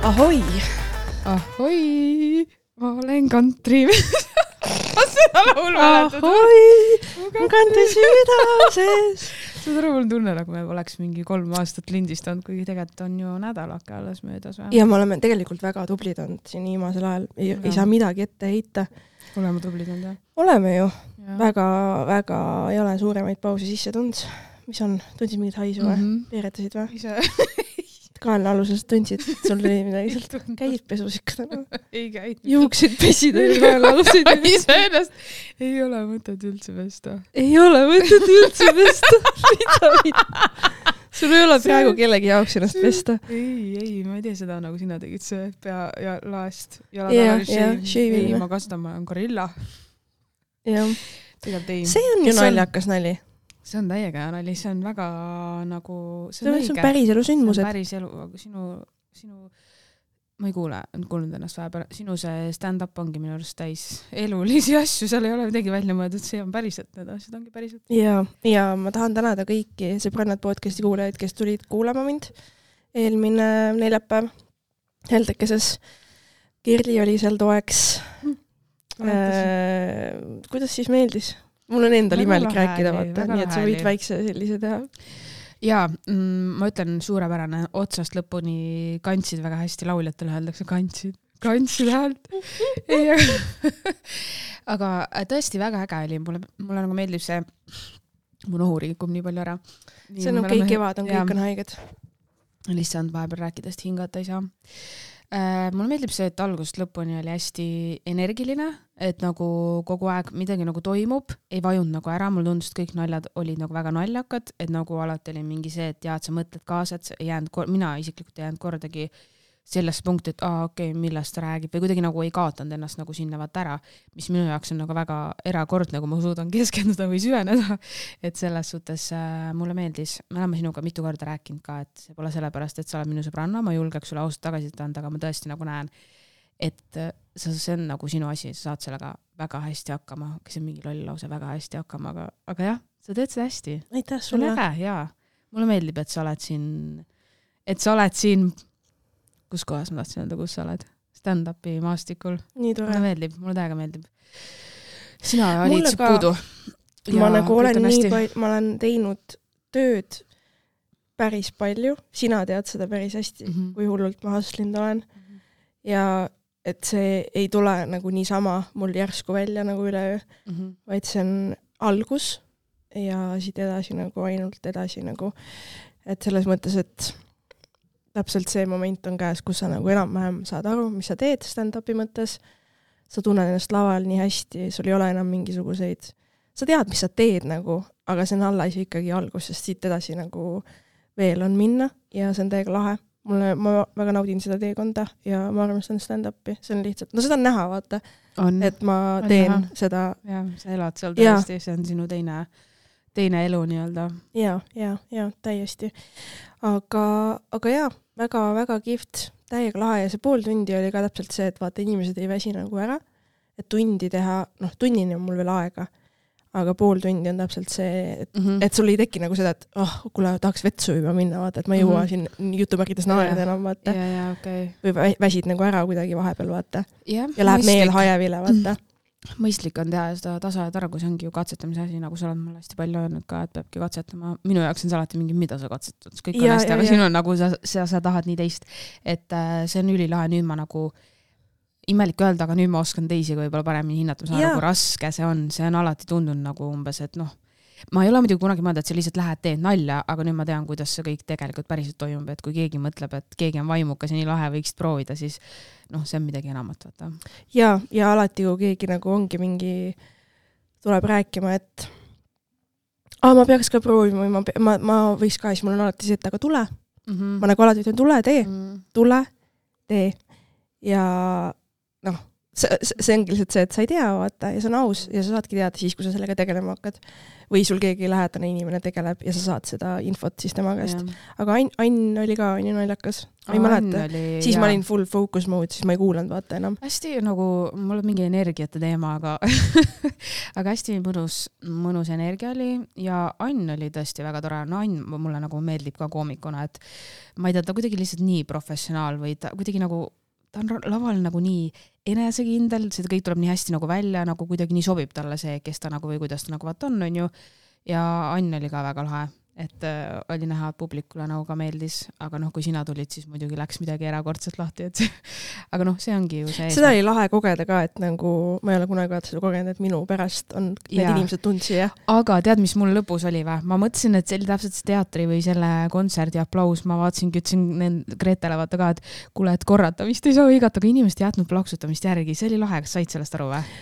Ahoi! Ahoi! Ma olen kantri. Seda laul mäletad? Ahoi! Mu kantri südases! Seda aru, mul tunne, nagu me oleks mingi 3 aastat lindistanud, kuigi tegelikult on ju nädalake alles möödas. Ja me oleme tegelikult väga tublid olnud siin viimasel ajal. Ei saa midagi ette heita. Oleme tublid olnud, jah? Oleme ju. Väga ei ole suuremaid pausi sisse tund. Mis on? Tundsid mingit haisu või? Peeretasid või? Ise. Kaelne aluses tundsid, et sul oli midagi sealt käid pesus ikka täna. Ei käid. Juuksid pesid ja kaelne alusid. Ise ennast. Ei ole mõtet üldse pesta. Ei ole mõtet üldse pesta. Mida? Sul ei ole praegu kellegi jaoks ennast pesta. Ei, ma ei tee seda, nagu sina tegid see pea ja laest. Ei, ma kasutan, ma olen gorilla. Jah. See on ju naljakas nali. See on täiega hea nali, see on väga nagu... See on päris elu sündmused. See on päris elu, aga sinu ma ei kuulnud ennast vahepeal, sinu see stand-up ongi minu arust täis elulisi asju, seal ei ole midagi välja mõeldud, see on päriselt, need asjad ongi päriselt. Ja ma tahan tänada kõiki sõbrannad podcasti kuulajaid, kes tulid kuulama mind eelmine neljapäev Heldekeses. Kirli oli seal toeks. Kuidas siis meeldis? Mul on endal imelik rääkida, vaata, nii et sa võid väikse sellise teha. Jaa, ma ütlen suurepärane, otsast lõpuni kantsid väga hästi, lauljatele öeldakse kantsid häält. Aga tõesti väga äge oli, mulle nagu meeldib see, mu nohu rikub nii palju ära. See on okei, kevad on, kõik on haiged. Lihtsalt vahepeal rääkidest hingata ei saa. Mulle meeldib see, et algusest lõpuni oli hästi energiline, et nagu kogu aeg midagi nagu toimub, ei vajunud nagu ära, mul tundus, et kõik naljad olid nagu väga naljakad, et nagu alati oli mingi see, et et sa mõtled kaasa, et mina isiklikult ei jäänud kordagi sellest punkti, et okei, millest ta räägib või kuidagi nagu ei kaotanud ennast nagu sinna vaata ära, mis minu jaoks on nagu väga erakordne, kui ma suudan keskenduda või süveneda, et selles suhtes mulle meeldis, me oleme sinuga mitu korda rääkinud ka, et see pole sellepärast, et sa oled minu sõbranna, ma julgeks sulle ausalt tagasi anda, aga ma tõesti nagu näen, et see on nagu sinu asi, sa saad sellega väga hästi hakkama, kes on mingi loll lause väga hästi hakkama, aga jah, sa teed seda hästi. Aitäh sulle. Jaa, mulle meeldib, et sa oled siin kus kohas ma tahtsin öelda, kus sa oled? Stand-upi maastikul. Nii tore. Mulle täiega meeldib. Sina olid puudu. Ma nagu ma olen teinud tööd päris palju. Sina tead seda päris hästi, kui hullult ma hustlind olen. Ja et see ei tule nagu niisama mul järsku välja nagu üleöö, vaid see on algus ja siit edasi nagu ainult edasi nagu. Et selles mõttes, et täpselt see moment on käes, kus sa nagu enam-vähem saad aru, mis sa teed stand-upi mõttes. Sa tunned ennast laval nii hästi, sul ei ole enam mingisuguseid. Sa tead, mis sa teed nagu, aga see on alla ikkagi algus, sest siit edasi nagu veel on minna ja see on täiega lahe. Ma väga naudin seda teekonda ja ma armastan stand-upi. See on lihtsalt, seda on näha, vaata, et ma teen seda. Ja, sa elad seal tõesti, see on sinu teine elu nii-öelda. Ja, täiesti. Aga jaa, väga kihvt, täiega lahe ja see pool tundi oli ka täpselt see, et vaata, inimesed ei väsi nagu ära, et tundi teha, tunnini on mul veel aega, aga pool tundi on täpselt see, et sul ei teki nagu seda, et kuule, tahaks vetsu juba minna, vaata, et ma ei jõua siin jutumärgides naerda enam, vaata. Okay. Või väsid nagu ära kuidagi vahepeal, vaata. Ja läheb meel hajevile, vaata. Mõistlik on teha seda tasa ja targus, ongi ju katsetamise asi, nagu sa oled mulle hästi palju öelnud ka, et peabki katsetama. Minu jaoks on see alati mingi, mida sa katsetad, kõik on hästi, aga sinu on nagu sa tahad nii teist, et see on ülilahe, nüüd ma nagu imelik öelda, aga nüüd ma oskan teisi võib-olla paremini hinnata, ma saan nagu raske see on alati tundunud nagu umbes, et ma ei ole muidugi kunagi mõelda, et sa lihtsalt lähed teed nalja, aga nüüd ma tean, kuidas see kõik tegelikult päriselt toimub, et kui keegi mõtleb, et keegi on vaimukas ja nii lahe võiksid proovida, siis see on midagi enamat, vaata. Ja alati, kui keegi nagu ongi mingi, tuleb rääkima, et ma peaks ka proovima, ma võiks ka, siis mul on alati see, et aga tule. Ma nagu alati ütlen, tule, tee. Ja see ongi lihtsalt see, et sa ei tea, vaata, ja see on aus ja sa saadki teada siis, kui sa sellega tegelema hakkad. Või sul keegi lähedane inimene tegeleb ja sa saad seda infot siis tema käest. Aga Ain oli ka naljakas. Ma ei mäleta. Siis ma olin full focus mode, siis ma ei kuulanud vaata enam. Hästi nagu, mul on mingi energiate teema, aga aga hästi mõnus energia oli ja Ain oli tõesti väga tore. No Ain mulle nagu meeldib ka koomikuna, et ma ei tea, ta kuidagi lihtsalt nii professionaal või ta kuidagi nagu, ta on laval nagu nii enesekindel, see kõik tuleb nii hästi nagu välja, nagu kuidagi nii sobib talle see, kes ta nagu või kuidas ta nagu vaat on ju. Ja Ain oli ka väga lahe, et oli näha, et publikule nagu ka meeldis, aga kui sina tulid, siis muidugi läks midagi erakordselt lahti, et aga see ongi ju see. Seda oli lahe kogeda ka, et nagu ma ei ole kunagi seda kogenud, et minu pärast on need inimesed tundsi, jah. Aga tead, mis mul lõpus oli või? Ma mõtlesin, et see oli täpselt see teatri või selle kontserdi aplaus, ma vaatasingi, ütlesin Gretele vaata ka, et kuule, et korrata, vist ei saa õigata, aga inimest jätnud plaksutamist järgi, see oli lahe, kas said sellest aru või?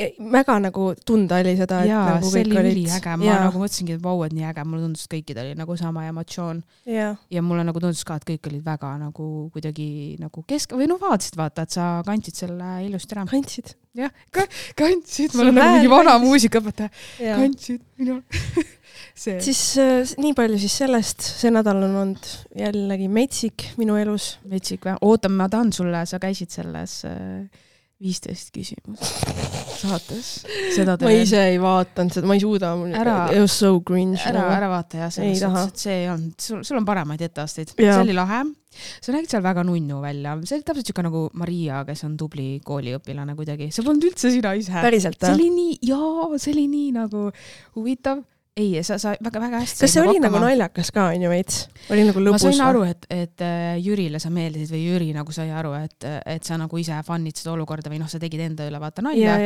Väga nagu tunda oli seda, et jaa, nagu see oli üliäge, ma nagu mõtlesingi, et vau, et nii äge, mulle tundus, et kõikid oli nagu sama emotsioon ja mulle nagu tundus ka, et kõik olid väga nagu kuidagi nagu või vaatasid vaata, et sa kandsid selle ilusti ära. Kandsid? Jah, kandsid, mul on nagu mingi vana muusikaõpetaja, kandsid minu Siis nii palju siis sellest, see nädal on olnud jällegi metsik minu elus. Metsik või? Ootan, ma tahan sulle, sa käisid selles 15 küsimus saates. Ma ise ei vaatanud seda, ma ei suuda. It was so cringe. Ära vaata ja selles suhtes, et see on, sul on paremaid etteasteid. See oli lahe. Sa nägid seal väga nunnu välja. See oli täpselt siuke nagu Maria, kes on tubli kooliõpilane kuidagi. See polnud üldse sina ise. Päriselt, see oli nii nagu huvitav. Ei, sa väga hästi. Kas see oli nagu naljakas ka, on ju veits? Oli nagu lõbus? Ma sain aru, et Jürile sa meeldisid või Jüri nagu sai aru, et sa nagu ise fannid seda olukorda või sa tegid enda üle vaata nalja.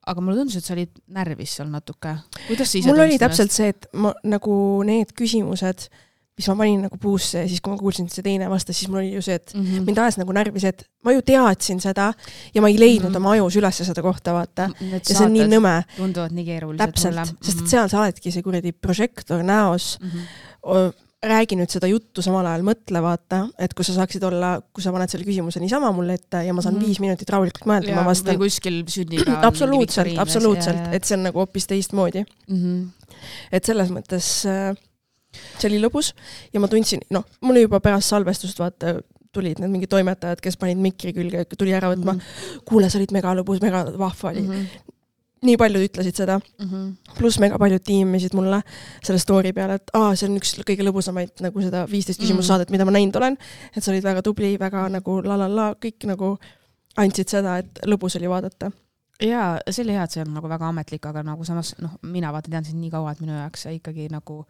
Aga mulle tundus, et sa olid närvis seal natuke. Kuidas sa ise mul oli täpselt see, et nagu need küsimused, mis ma panin nagu puusse ja siis, kui ma kuulsin, et see teine vastas, siis mul oli ju see, et mind ajas nagu närvis, et ma ju teadsin seda ja ma ei leidnud oma ajus üles seda kohta, vaata. Ja see on nii nõme. Tunduvad nii keerulised mulle. Sest seal sa oledki see kuradi projektor näos, räägi nüüd seda juttu samal ajal mõtle, vaata, et kui sa saaksid olla, kui sa paned selle küsimuse niisama mulle ette ja ma saan 5 minutit rahulikult mõelda, ma vastan. Või kuskil sünniga. Absoluutselt, et see on nagu hoopis teistmoodi. Et selles mõttes see oli lõbus ja ma tundsin, mul juba pärast salvestust vaata tulid need mingi toimetajad, kes panid mikri külge, tuli ära võtma, kuule, sa olid mega lõbus, mega vahva oli. Nii paljud ütlesid seda, pluss mega paljud tiimisid mulle selle story peale, et see on üks kõige lõbusamaid nagu seda 15 küsimus saadet, mida ma näinud olen, et sa olid väga tubli, väga nagu kõik nagu andsid seda, et lõbus oli vaadata. Jaa, see oli hea, et see on nagu väga ametlik, aga nagu samas, mina vaata tean siin nii kaua, et minu jaoks ikkagi nagu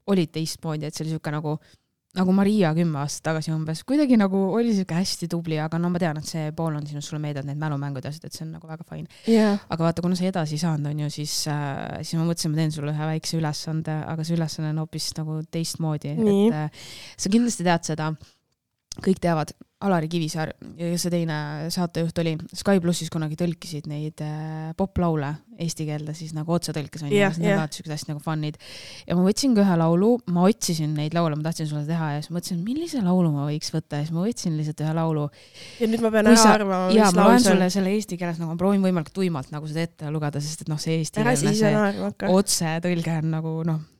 olid teistmoodi, et see oli siuke nagu Maria 10 aastat tagasi umbes. Kuidagi nagu oli siuke hästi tubli, aga ma tean, et see pool on sinust sulle meeldavad need mälumängud ja et see on nagu väga fine. Aga vaata, kuna sa edasi saanud on ju, siis ma mõtlesin, ma teen sulle ühe väikse ülesande, aga see ülesanne on hoopis nagu teistmoodi. Et sa kindlasti tead seda, kõik teavad, Alari Kivisaar ja see teine saatejuht oli Sky Plussis kunagi tõlkisid neid poplaule eesti keelde, siis nagu otse tõlkes on ja siuksed hästi nagu fannid. Ja ma võtsin ka ühe laulu, ma otsisin neid laule, ma tahtsin sulle teha ja siis mõtlesin, millise laulu ma võiks võtta ja siis ma võtsin lihtsalt ühe laulu. Ja nüüd ma pean ära arvama, mis laul see on. Ma loen sulle selle eesti keeles, nagu ma proovin võimalikult tuimalt nagu seda ette lugeda, sest et see eesti keelne otse tõlge on nagu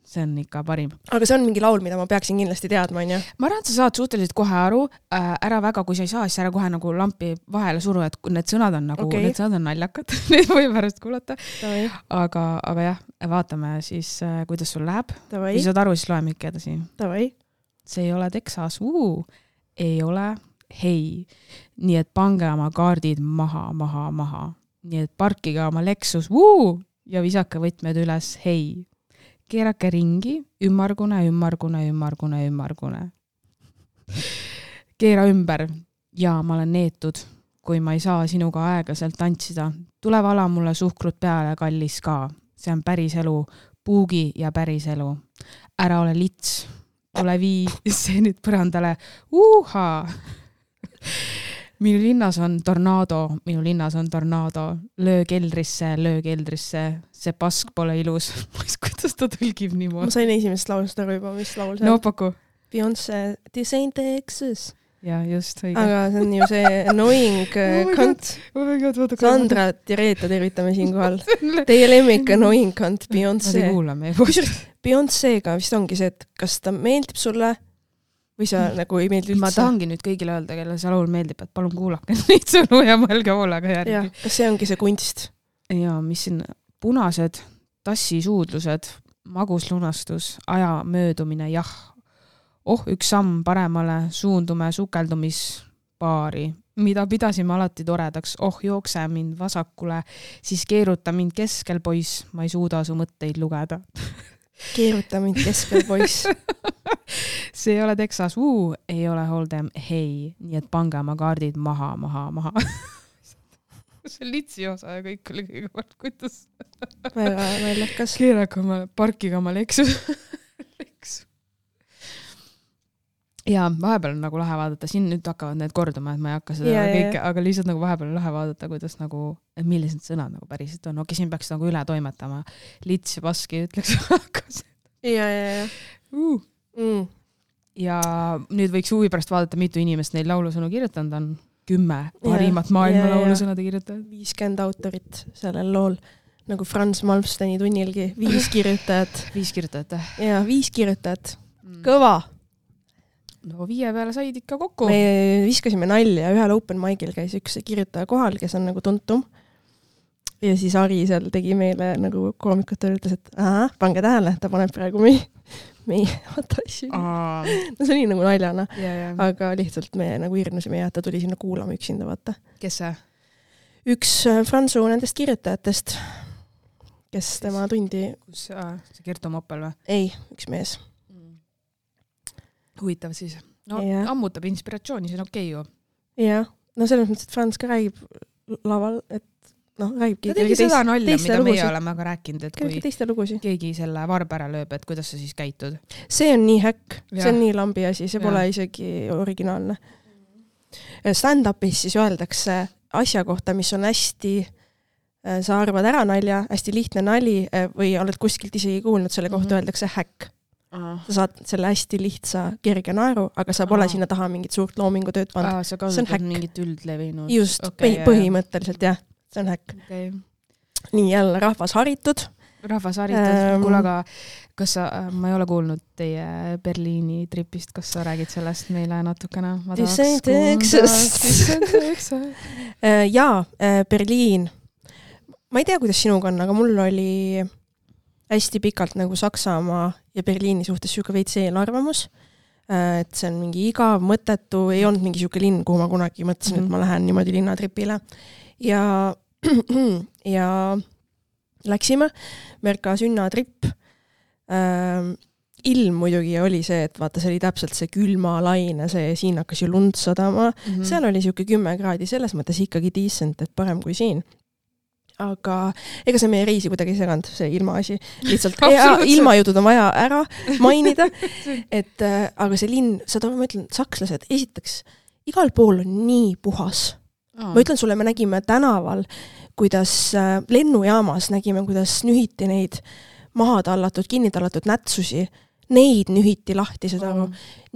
see on ikka parim. Aga see on mingi laul, mida ma peaksin kindlasti teadma, on ju? Ma arvan, et sa saad suhteliselt kohe aru, ära väga, kui sa ei saa, siis ära kohe nagu lampi vahele suru, et need sõnad on nagu, need sõnad on naljakad, neid või pärast kuulata. Aga jah, vaatame siis, kuidas sul läheb. Kui saad aru, siis loeme ikka edasi. See ei ole Texas, ei ole hei. Nii et pange oma kaardid maha. Nii et parkige oma Lexus, ja visake võtmed üles, hei. Keerake ringi, ümmargune. Keera ümber ja ma olen neetud, kui ma ei saa sinuga aeglaselt tantsida. Tule vala mulle suhkrut peale, kallis ka. See on päris elu, puugi ja päris elu. Ära ole lits, ole vii, see nüüd põrandale. Minu linnas on tornaado, löö keldrisse, see pask pole ilus. Kuidas ta tõlgib niimoodi? Ma sain esimest laulust aru juba, mis laul see on. No paku. Beyoncé, This ain't Texas. ja just, õige. aga see on ju see annoying kant. Sandra Tireta tervitame siinkohal. Teie lemmik annoying kant, Beyoncé. Beyoncé'ga vist ongi see, et kas ta meeldib sulle või sa nagu ei meeldi üldse? Ma tahangi nüüd kõigile öelda, kelle see laul meeldib, et palun kuulake neid sõnu ja mõelge hoolega järgi. Ja, kas see ongi see kunst? Ja, mis siin punased tassisuudlused, maguslunastus, aja möödumine, jah. Üks samm paremale, suundume sukeldumispaari, mida pidasime alati toredaks. Jookse mind vasakule, siis keeruta mind keskel, poiss, ma ei suuda su mõtteid lugeda. Keeruta mind keskel, poiss. See ei ole Texas, ei ole Hold'em, hei, nii et pange oma kaardid maha. See litsi osa ja kõik oli kõigepealt, kuidas väga naljakas. Keerake oma, parkiga oma leksu. Ja vahepeal on nagu lahe vaadata, siin nüüd hakkavad need korduma, et ma ei hakka seda kõike, aga lihtsalt nagu vahepeal on lahe vaadata, kuidas nagu, millised sõnad nagu päriselt on. Siin peaks nagu üle toimetama. Lits ja paski ütleks hakkas. Ja. Ja nüüd võiks huvi pärast vaadata, mitu inimest neid laulusõnu kirjutanud on. 10 parimat maailma laulusõnade kirjutajad. 50 autorit sellel lool. Nagu Franz Malmsteni tunnilgi. 5 kirjutajat. 5 kirjutajat. Ja 5 kirjutajat. Kõva! No 5 peale said ikka kokku. Me viskasime nalja. Ühel open mic'il käis üks kirjutaja kohal, kes on nagu tuntum. Ja siis Ari seal tegi meile nagu koomikut ütles, et pange tähele, ta paneb praegu meie asju. No see oli nagu naljana, aga lihtsalt me nagu hirnusime ja ta tuli sinna kuulama üksinda, vaata. Kes see? Üks Fransu nendest kirjutajatest, kes tema tundi... Kus see Kerto Moppel või? Ei, üks mees. Huvitav siis. No ammutab inspiratsiooni, see on okei ju. Jah, no selles mõttes, et Frans ka räägib laval, et räägibki. Ta tegi seda nalja, mida meie oleme aga rääkinud, et kui keegi selle varb ära lööb, et kuidas sa siis käitud? See on nii häkk, see on nii lambi asi, see pole isegi originaalne. Stand-upis siis öeldakse asja kohta, mis on hästi, sa arvad ära nalja, hästi lihtne nali või oled kuskilt isegi kuulnud, selle kohta öeldakse häkk. Sa saad selle hästi lihtsa kerge naeru, aga sa pole sinna taha mingit suurt loomingutööd pannud. Sa kasutad mingit üldlevinud. Just, põhimõtteliselt jah. See on häkk. Okay. Nii jälle rahvas haritud. Kuule, aga kas sa, ma ei ole kuulnud teie Berliini tripist, kas sa räägid sellest meile natukene? Jaa, Berliin. Ma ei tea, kuidas sinuga on, aga mul oli hästi pikalt nagu Saksamaa ja Berliini suhtes siuke veits eelarvamus, et see on mingi igav, mõttetu, ei olnud mingi siuke linn, kuhu ma kunagi mõtlesin, et ma lähen niimoodi linnatripile. Ja läksime Merka sünnatripp. Ilm muidugi oli see, et vaata, see oli täpselt see külma laine, siin hakkas ju lund sadama. Seal oli siuke 10 kraadi, selles mõttes ikkagi decent, et parem kui siin. Aga ega see meie reisi kuidagi ei seganud, see ilmaasi. Lihtsalt ilmajutud on vaja ära mainida. Aga see linn, ma ütlen, sakslased, esiteks, igal pool on nii puhas. Ma ütlen sulle, me nägime tänaval, kuidas lennujaamas nägime, kuidas nühiti neid maha tallatud, kinni tallatud nätsusi. Neid nühiti lahti seda.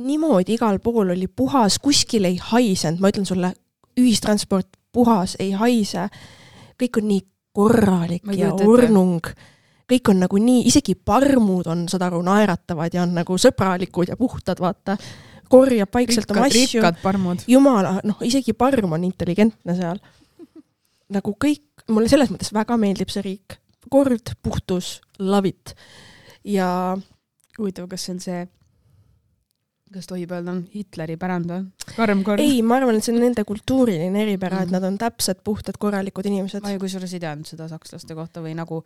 Niimoodi igal pool oli puhas, kuskil ei haisend. Ma ütlen sulle, ühistransport puhas, ei haise. Kõik on nii korralik ja ornung. Kõik on nagu nii, isegi parmud on seda aru naeratavad ja on nagu sõbralikud ja puhtad, vaata. Korjab paikselt oma asju. Rikkad parmud. Jumala, isegi parm on intelligentne seal. Nagu kõik, mulle selles mõttes väga meeldib see riik. Kord, puhtus, love it. Ja huvitav, kas see on see, kas tohib öelda, on Hitleri pärand või? Karm. Ei, ma arvan, et see on nende kultuuriline eripära, et nad on täpsed, puhtad, korralikud inimesed. Ma ei kusjuures ei teadnud seda sakslaste kohta või nagu...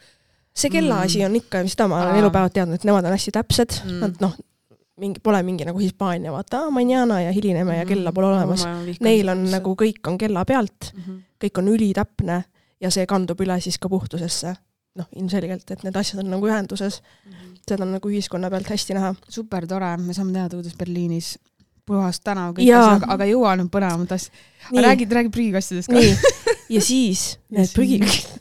See kellaasi on ikka, seda ma olen elupäevad teadnud, et nemad on hästi täpsed. Nad pole mingi nagu Hispaania, vaata, mañana ja hilineme ja kella pole olemas. Neil on nagu kõik on kella pealt, kõik on ülitäpne ja see kandub üle siis ka puhtusesse. Ilmselgelt, et need asjad on nagu ühenduses. Seda on nagu ühiskonna pealt hästi näha. Super tore, me saame teada, kuidas Berliinis puhast tänav kõik asjad, aga jõua on põnevamat asja. Räägid prügikastidest ka. Nii. Ja siis need prügikastid.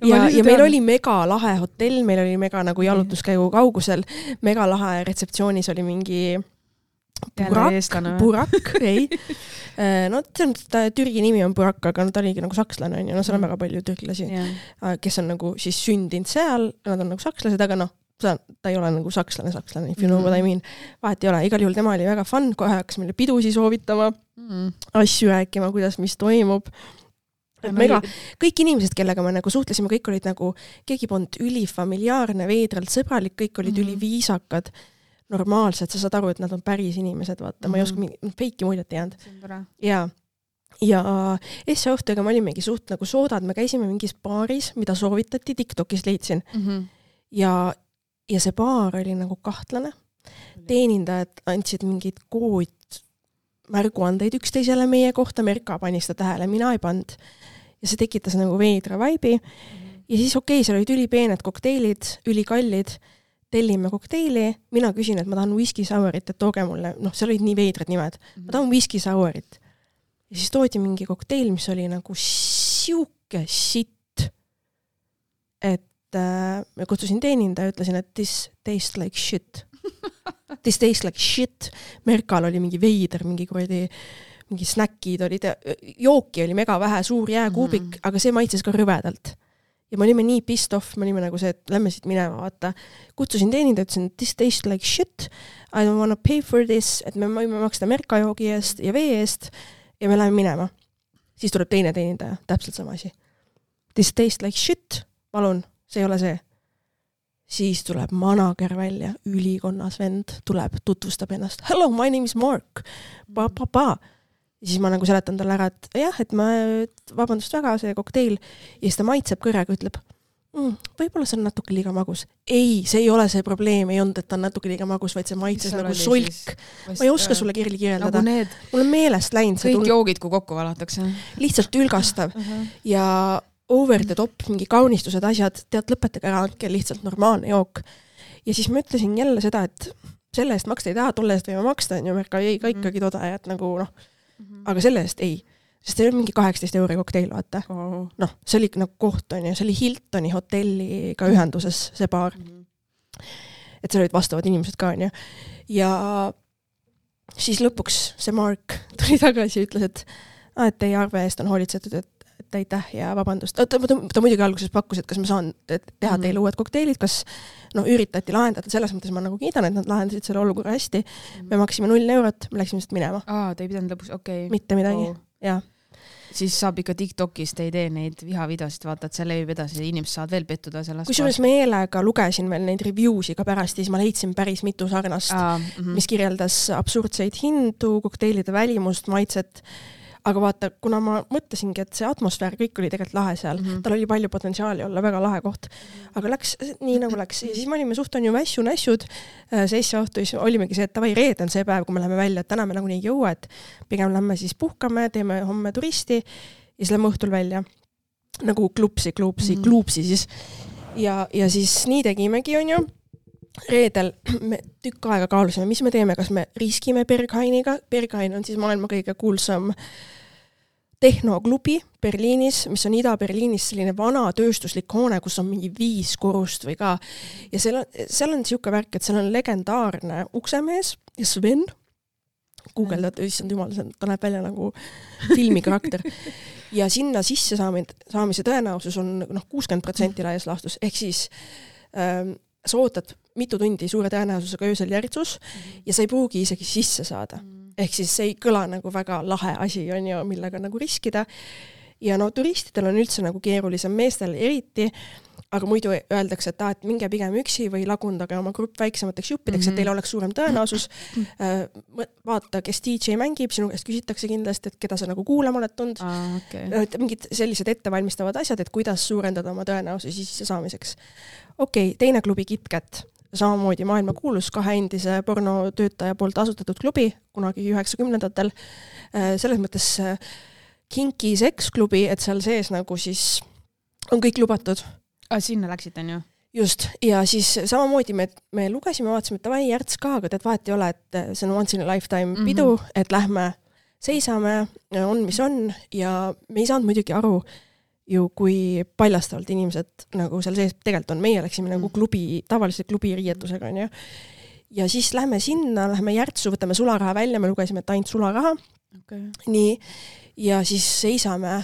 ja meil oli mega lahe hotell, meil oli mega nagu jalutuskäigu kaugusel, mega lahe retseptsioonis oli mingi Burak, ei. No Türgi nimi on Burak, aga ta oligi nagu sakslane, on ju, no seal on väga palju türklasi, kes on nagu siis sündinud seal, nad on nagu sakslased, aga noh, ta ei ole nagu sakslane, if you know what I mean. Vahet ei ole, igal juhul tema oli väga fun, kohe hakkas meile pidusi soovitama, asju rääkima, kuidas, mis toimub. Kõik inimesed, kellega me nagu suhtlesime, kõik olid nagu, keegi polnud ülifamiliaarne, veidralt sõbralik, kõik olid üliviisakad, normaalsed, sa saad aru, et nad on päris inimesed, vaata, ma ei oska feiki muljet ei jäänud. Ja esse õhtuga me olimegi suht nagu soodad, me käisime mingis baaris, mida soovitati, TikTokis leidsin. Ja see baar oli nagu kahtlane. Teenindajad andsid mingid märguandeid üksteisele meie kohta, Merka pani seda tähele, mina ei pand. Ja see tekitas nagu veidra vaibi. Ja siis seal olid ülipeened kokteilid, ülikallid, tellime kokteili, mina küsin, et ma tahan whisky sourit, et tooge mulle, seal olid nii veidrad nimed, ma tahan whisky sourit. Ja siis toodi mingi kokteil, mis oli nagu siuke sitt, et ma kutsusin teeninda ja ütlesin, et this tastes like shit. This tastes like shit. Merkal oli mingi veider, mingi snäkid olid, jooki oli mega vähe, suur jääkuubik, aga see maitses ka rõvedalt. Ja me olime nii pissed off, me olime nagu see, et lähme siit minema, vaata. Kutsusin teeninda, ütlesin, this tastes like shit. I don't wanna pay for this, et me võime maksta Merka joogi eest ja vee eest ja me läheme minema. Siis tuleb teine teenindaja, täpselt sama asi. This tastes like shit, palun. See ei ole see. Siis tuleb manager välja, ülikonnas vend, tuleb, tutvustab ennast. Hello, my name is Mark. Ja siis ma nagu seletan talle ära, et jah, et vabandust väga, see kokteil. Ja siis ta maitseb kõrega, ütleb, võib-olla see on natuke liiga magus. Ei, see ei ole see probleem, ei olnud, et ta on natuke liiga magus, vaid see maitses nagu solk. Ma ei oska sulle kirjeldada. Mul on meelest läinud. Kõik joogid, kui kokku valatakse. Lihtsalt ülgastav. Ja over the top, mingi kaunistused, asjad, tead, lõpetage ära, andke lihtsalt normaalne jook. Ja siis ma ütlesin jälle seda, et selle eest maksta ei taha, tolle eest võime maksta, on ju, Merka ei ka ikkagi toda, et nagu aga selle eest ei. Sest see oli mingi 18 € kokteil, vaata. See oli nagu koht, on ju, see oli Hiltoni hotelliga ühenduses, see baar. Et seal olid vastavad inimesed ka, on ju. Ja siis lõpuks see Mark tuli tagasi ja ütles, et teie arve eest on hoolitsetud, et aitäh ja vabandust. Ta muidugi alguses pakkus, et kas ma saan teha teile uued kokteilid, kas üritati lahendada, selles mõttes ma nagu kiidan, et nad lahendasid selle olukorra hästi. Me maksime 0 €, me läksime sealt minema. Te ei pidanud lõpus, okei. Mitte midagi, jah. Siis saab ikka TikTokist, ei tee neid vihavideosid, vaata, et see levib edasi, inimesed saavad veel pettuda sellest. Kusjuures meelega lugesin veel neid reviewsi ka pärast, siis ma leidsin päris mitu sarnast, mis kirjeldas absurdseid hindu, kokteilide välimust, maitset. Aga vaata, kuna ma mõtlesingi, et see atmosfäär kõik oli tegelikult lahe seal, tal oli palju potentsiaali olla, väga lahe koht. Aga läks nii nagu läks. Ja siis me olime suht on ju nässud. See õhtu olimegi see, et reede on see päev, kui me läheme välja, et täna me nagu nii jõua, et pigem lähme siis puhkame, teeme homme turisti ja siis lähme õhtul välja. Nagu klupsi siis. Ja siis nii tegimegi, on ju. Reedel me tükk aega kaalusime, mis me teeme, kas me riskime Berghainiga. Berghain on siis maailma kõige kuulsam tehnoklubi Berliinis, mis on Ida-Berliinis selline vana tööstuslik hoone, kus on mingi 5 korrust või ka. Ja seal on siuke värk, et seal on legendaarne uksemees ja Sven. Guugeldad, issand jumal, ta näeb välja nagu filmikarakter. Ja sinna sisse saamise tõenäosus on 60% laias laastus. Ehk siis sa ootad mitu tundi suure tõenäosusega öösel järjitsus ja sa ei pruugi isegi sisse saada. Ehk siis see ei kõla nagu väga lahe asi, on ju, millega nagu riskida. Ja turistidel on üldse nagu keerulisem, meestel eriti, aga muidu öeldakse, et minge pigem üksi või lagundage oma grupp väiksemateks juppideks, et teil oleks suurem tõenäosus. Vaata, kes DJ mängib, sinu käest küsitakse kindlasti, et keda sa nagu kuulama oled tund. Mingid sellised ettevalmistavad asjad, et kuidas suurendada oma tõenäosusi sisse saamiseks. Teine klubi KitKat, samamoodi maailma kuulus 2 endise pornotöötaja poolt asutatud klubi, kunagi 90-ndatel. Selles mõttes kinky seksklubi, et seal sees nagu siis on kõik lubatud. Sinna läksid, on ju? Just, ja siis samamoodi me lugesime, vaatasime, et vai järts ka, aga tead vahet ei ole, et see on once in a lifetime pidu, et lähme seisame, on mis on, ja me ei saanud muidugi aru ju, kui paljastavalt inimesed nagu seal sees tegelikult on. Meie läksime nagu tavalise klubi riietusega, on ju. ja siis lähme sinna, lähme Järtsu, võtame sularaha välja, me lugesime, et ainult sularaha. Okay. Nii, ja siis seisame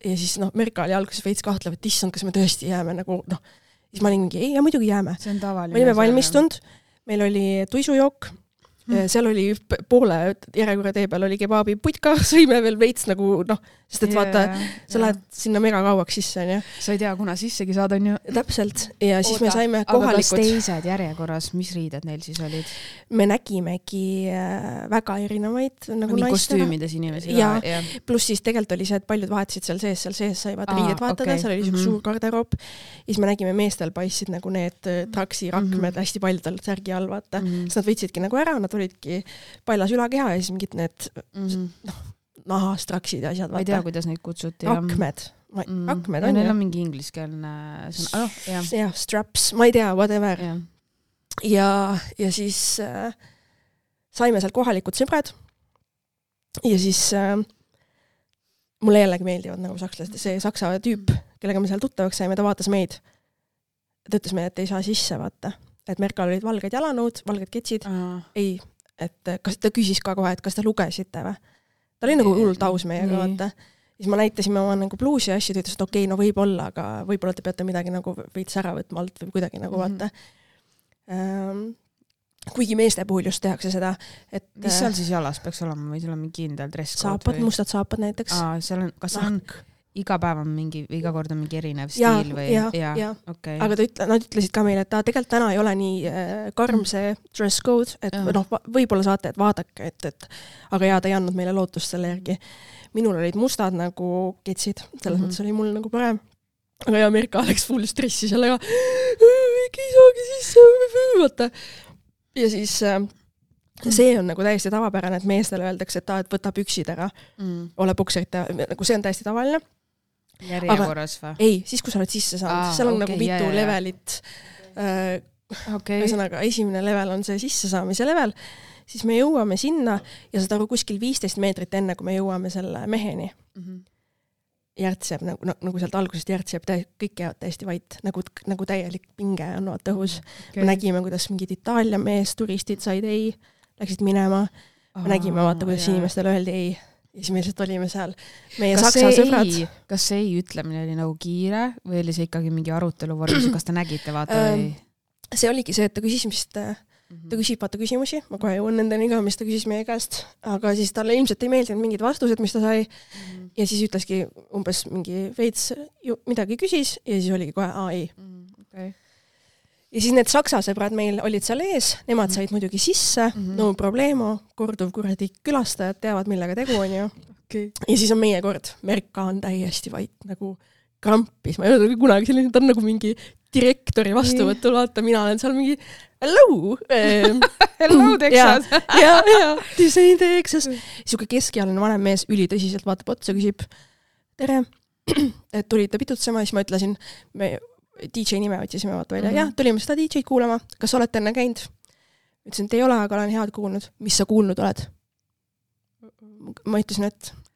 ja siis Merka oli alguses veits kahtlev, et issand, kas me tõesti jääme nagu siis ma olin mingi, ei, ja muidugi jääme. See on tavaline. Me olime valmistunud, meil oli tuisujook, seal oli poole järjekorra tee peal oli kebaabi putka, sõime veel veits nagu sest et vaata, sa lähed sinna mega kauaks sisse, on ju. Sa ei tea, kuna sissegi saad, on ju. Täpselt, ja siis me saime kohalikud. Aga kas teised järjekorras, mis riided neil siis olid? Me nägimegi väga erinevaid nagu naistena. Kostüümides inimesi. Ja pluss siis tegelikult oli see, et paljud vahetasid seal sees sai vaata riided vahetada, seal oli suur garderoop. Ja siis me nägime meestel paistsid nagu need traksi rakmed hästi paljudel särgi all, vaata. Siis nad võitsidki nagu ära, nad olidki paljas ülakeha ja siis mingid need nahastraksid ja asjad. Ma ei tea, kuidas neid kutsuti. Rakmed. Rakmed on. Neil on mingi ingliskeelne sõna. Ja, straps, ma ei tea, whatever. Ja siis saime sealt kohalikud sõbrad ja siis mulle jällegi meeldivad nagu sakslased. See saksa tüüp, kellega me seal tuttavaks saime, ta vaatas meid. Ta ütles meile, et ei saa sisse vaata. Et Merkal olid valged jalanõud, valged ketsid. Ei, et kas ta küsis ka kohe, et kas te lugesite või? Ta oli nagu hullult aus meiega, vaata. Siis ma näitasime oma nagu bluusi ja asju, ta ütles, et okei, võib-olla, aga võib-olla te peate midagi nagu veits ära võtma alt või kuidagi nagu vaata. Kuigi meeste puhul just tehakse seda, et... Mis seal siis jalas peaks olema või seal on mingi kindel dresscode? Saapad, mustad saapad näiteks. Kas on iga päev on iga kord on mingi erinev stiil või? Ja. Okay. Aga nad ütlesid ka meile, et tegelikult täna ei ole nii karm see dress code, et võib-olla saate, et vaadake, aga ta ei andnud meile lootust selle järgi. Minul olid mustad nagu ketsid, selles mõttes oli mul nagu parem. Aga Merka läks full stressi sellega, ei saagi sisse, vaata. Ja siis see on nagu täiesti tavapärane, et meestele öeldakse, et võta püksid ära, ole pukserite, nagu see on täiesti tavaline. Järjekorras või? Ei, siis kui sa oled sisse saanud, seal on nagu mitu levelit. Ühesõnaga, esimene level on see sissesaamise level, siis me jõuame sinna ja saad aru kuskil 15 meetrit enne, kui me jõuame selle meheni. Järts jääb, nagu sealt algusest järts jääb, kõik jäävad täiesti vait, nagu täielik pinge on õhus. Me nägime, kuidas mingid Itaalia mees, turistid said ei, läksid minema. Me nägime, vaata, kuidas inimestele öeldi ei. Ja siis me lihtsalt olime seal meie saksa sõbrad. Kas see ei ütlemine oli nagu kiire või oli see ikkagi mingi arutelu vormis, kas te nägite vaata või? See oligi see, et ta küsib vaata küsimusi, ma kohe jõuan nendeni ka, mis ta küsis meie käest, aga siis talle ilmselt ei meeldinud mingid vastused, mis ta sai ja siis ütleski umbes mingi veits midagi küsis ja siis oligi kohe ei. Okay. Ja siis need saksa sõbrad meil olid seal ees, nemad said muidugi sisse, no probleemo, korduv kuradi külastajad teavad, millega tegu on ju. Okay. Ja siis on meie kord, Merka on täiesti vait, nagu krampis, ma ei ole kunagi selline, ta on nagu mingi direktori vastuvõtul, vaata, mina olen seal mingi hello! Hello, Texas! ja, Disney Texas. Siuke keskealine vanem mees ülitõsiselt vaatab otsa, küsib, tere, et tulite pitutsema, siis ma ütlesin, me DJ nime otsisime vaata välja. Ja, tulime seda DJ-d kuulama. Kas olete enne käinud? Ütlesin, et ei ole, aga olen head kuulnud. Mis sa kuulnud oled? Ma ütlesin,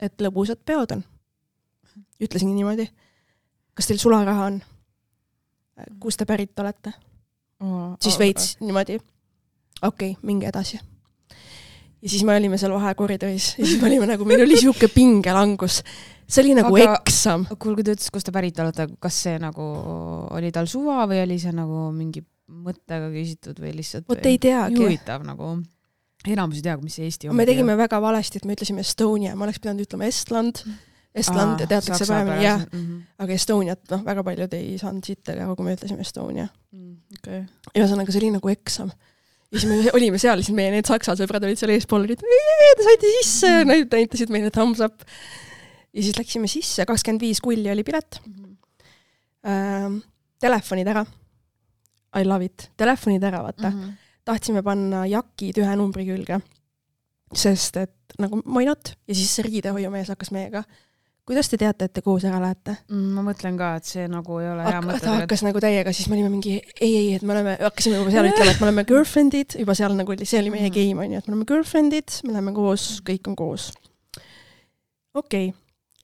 et lõbusad peod on. Ütlesingi niimoodi. Kas teil sularaha on? Kus te pärit olete? Siis veits niimoodi. Okei, minge edasi. Ja siis me olime seal vahekoridoris. Ja siis me olime nagu, meil oli siuke pingelangus. See oli nagu eksam. Kui ta ütles, kus ta pärit olete, kas see nagu oli tal suva või oli see nagu mingi mõttega küsitud või lihtsalt Võt ei teagi. Huvitav nagu, enamus ei tea, mis see Eesti on. Me tegime väga valesti, et me ütlesime Estonia, ma oleks pidanud ütlema Estland teatakse paremini, jah. Aga Estoniat, väga paljud ei saanud siit, aga kui me ütlesime Estonia. Okay. Ja ühesõnaga, see oli nagu eksam. Ja siis me olime seal, siis meie need saksa sõbrad olid seal eespool, te saite sisse, näitasid meile thumbs up. Ja siis läksime sisse, 25 kulli oli pilet. Telefonid ära. I love it. Telefonid ära, vaata. Tahtsime panna jakid ühe numbri külge. Sest, et nagu mainot. Ja siis see riidehoiumees hakkas meiega. Kuidas te teate, et te koos ära lähete? Ma mõtlen ka, et see nagu ei ole hea mõte. Ta hakkas nagu täiega, siis me olime mingi ei, et me hakkasime juba seal ütlema, et me oleme girlfriendid. Juba seal nagu oli, see oli meie game, on ju, et me oleme girlfriendid, me läheme koos, kõik on koos. Okei.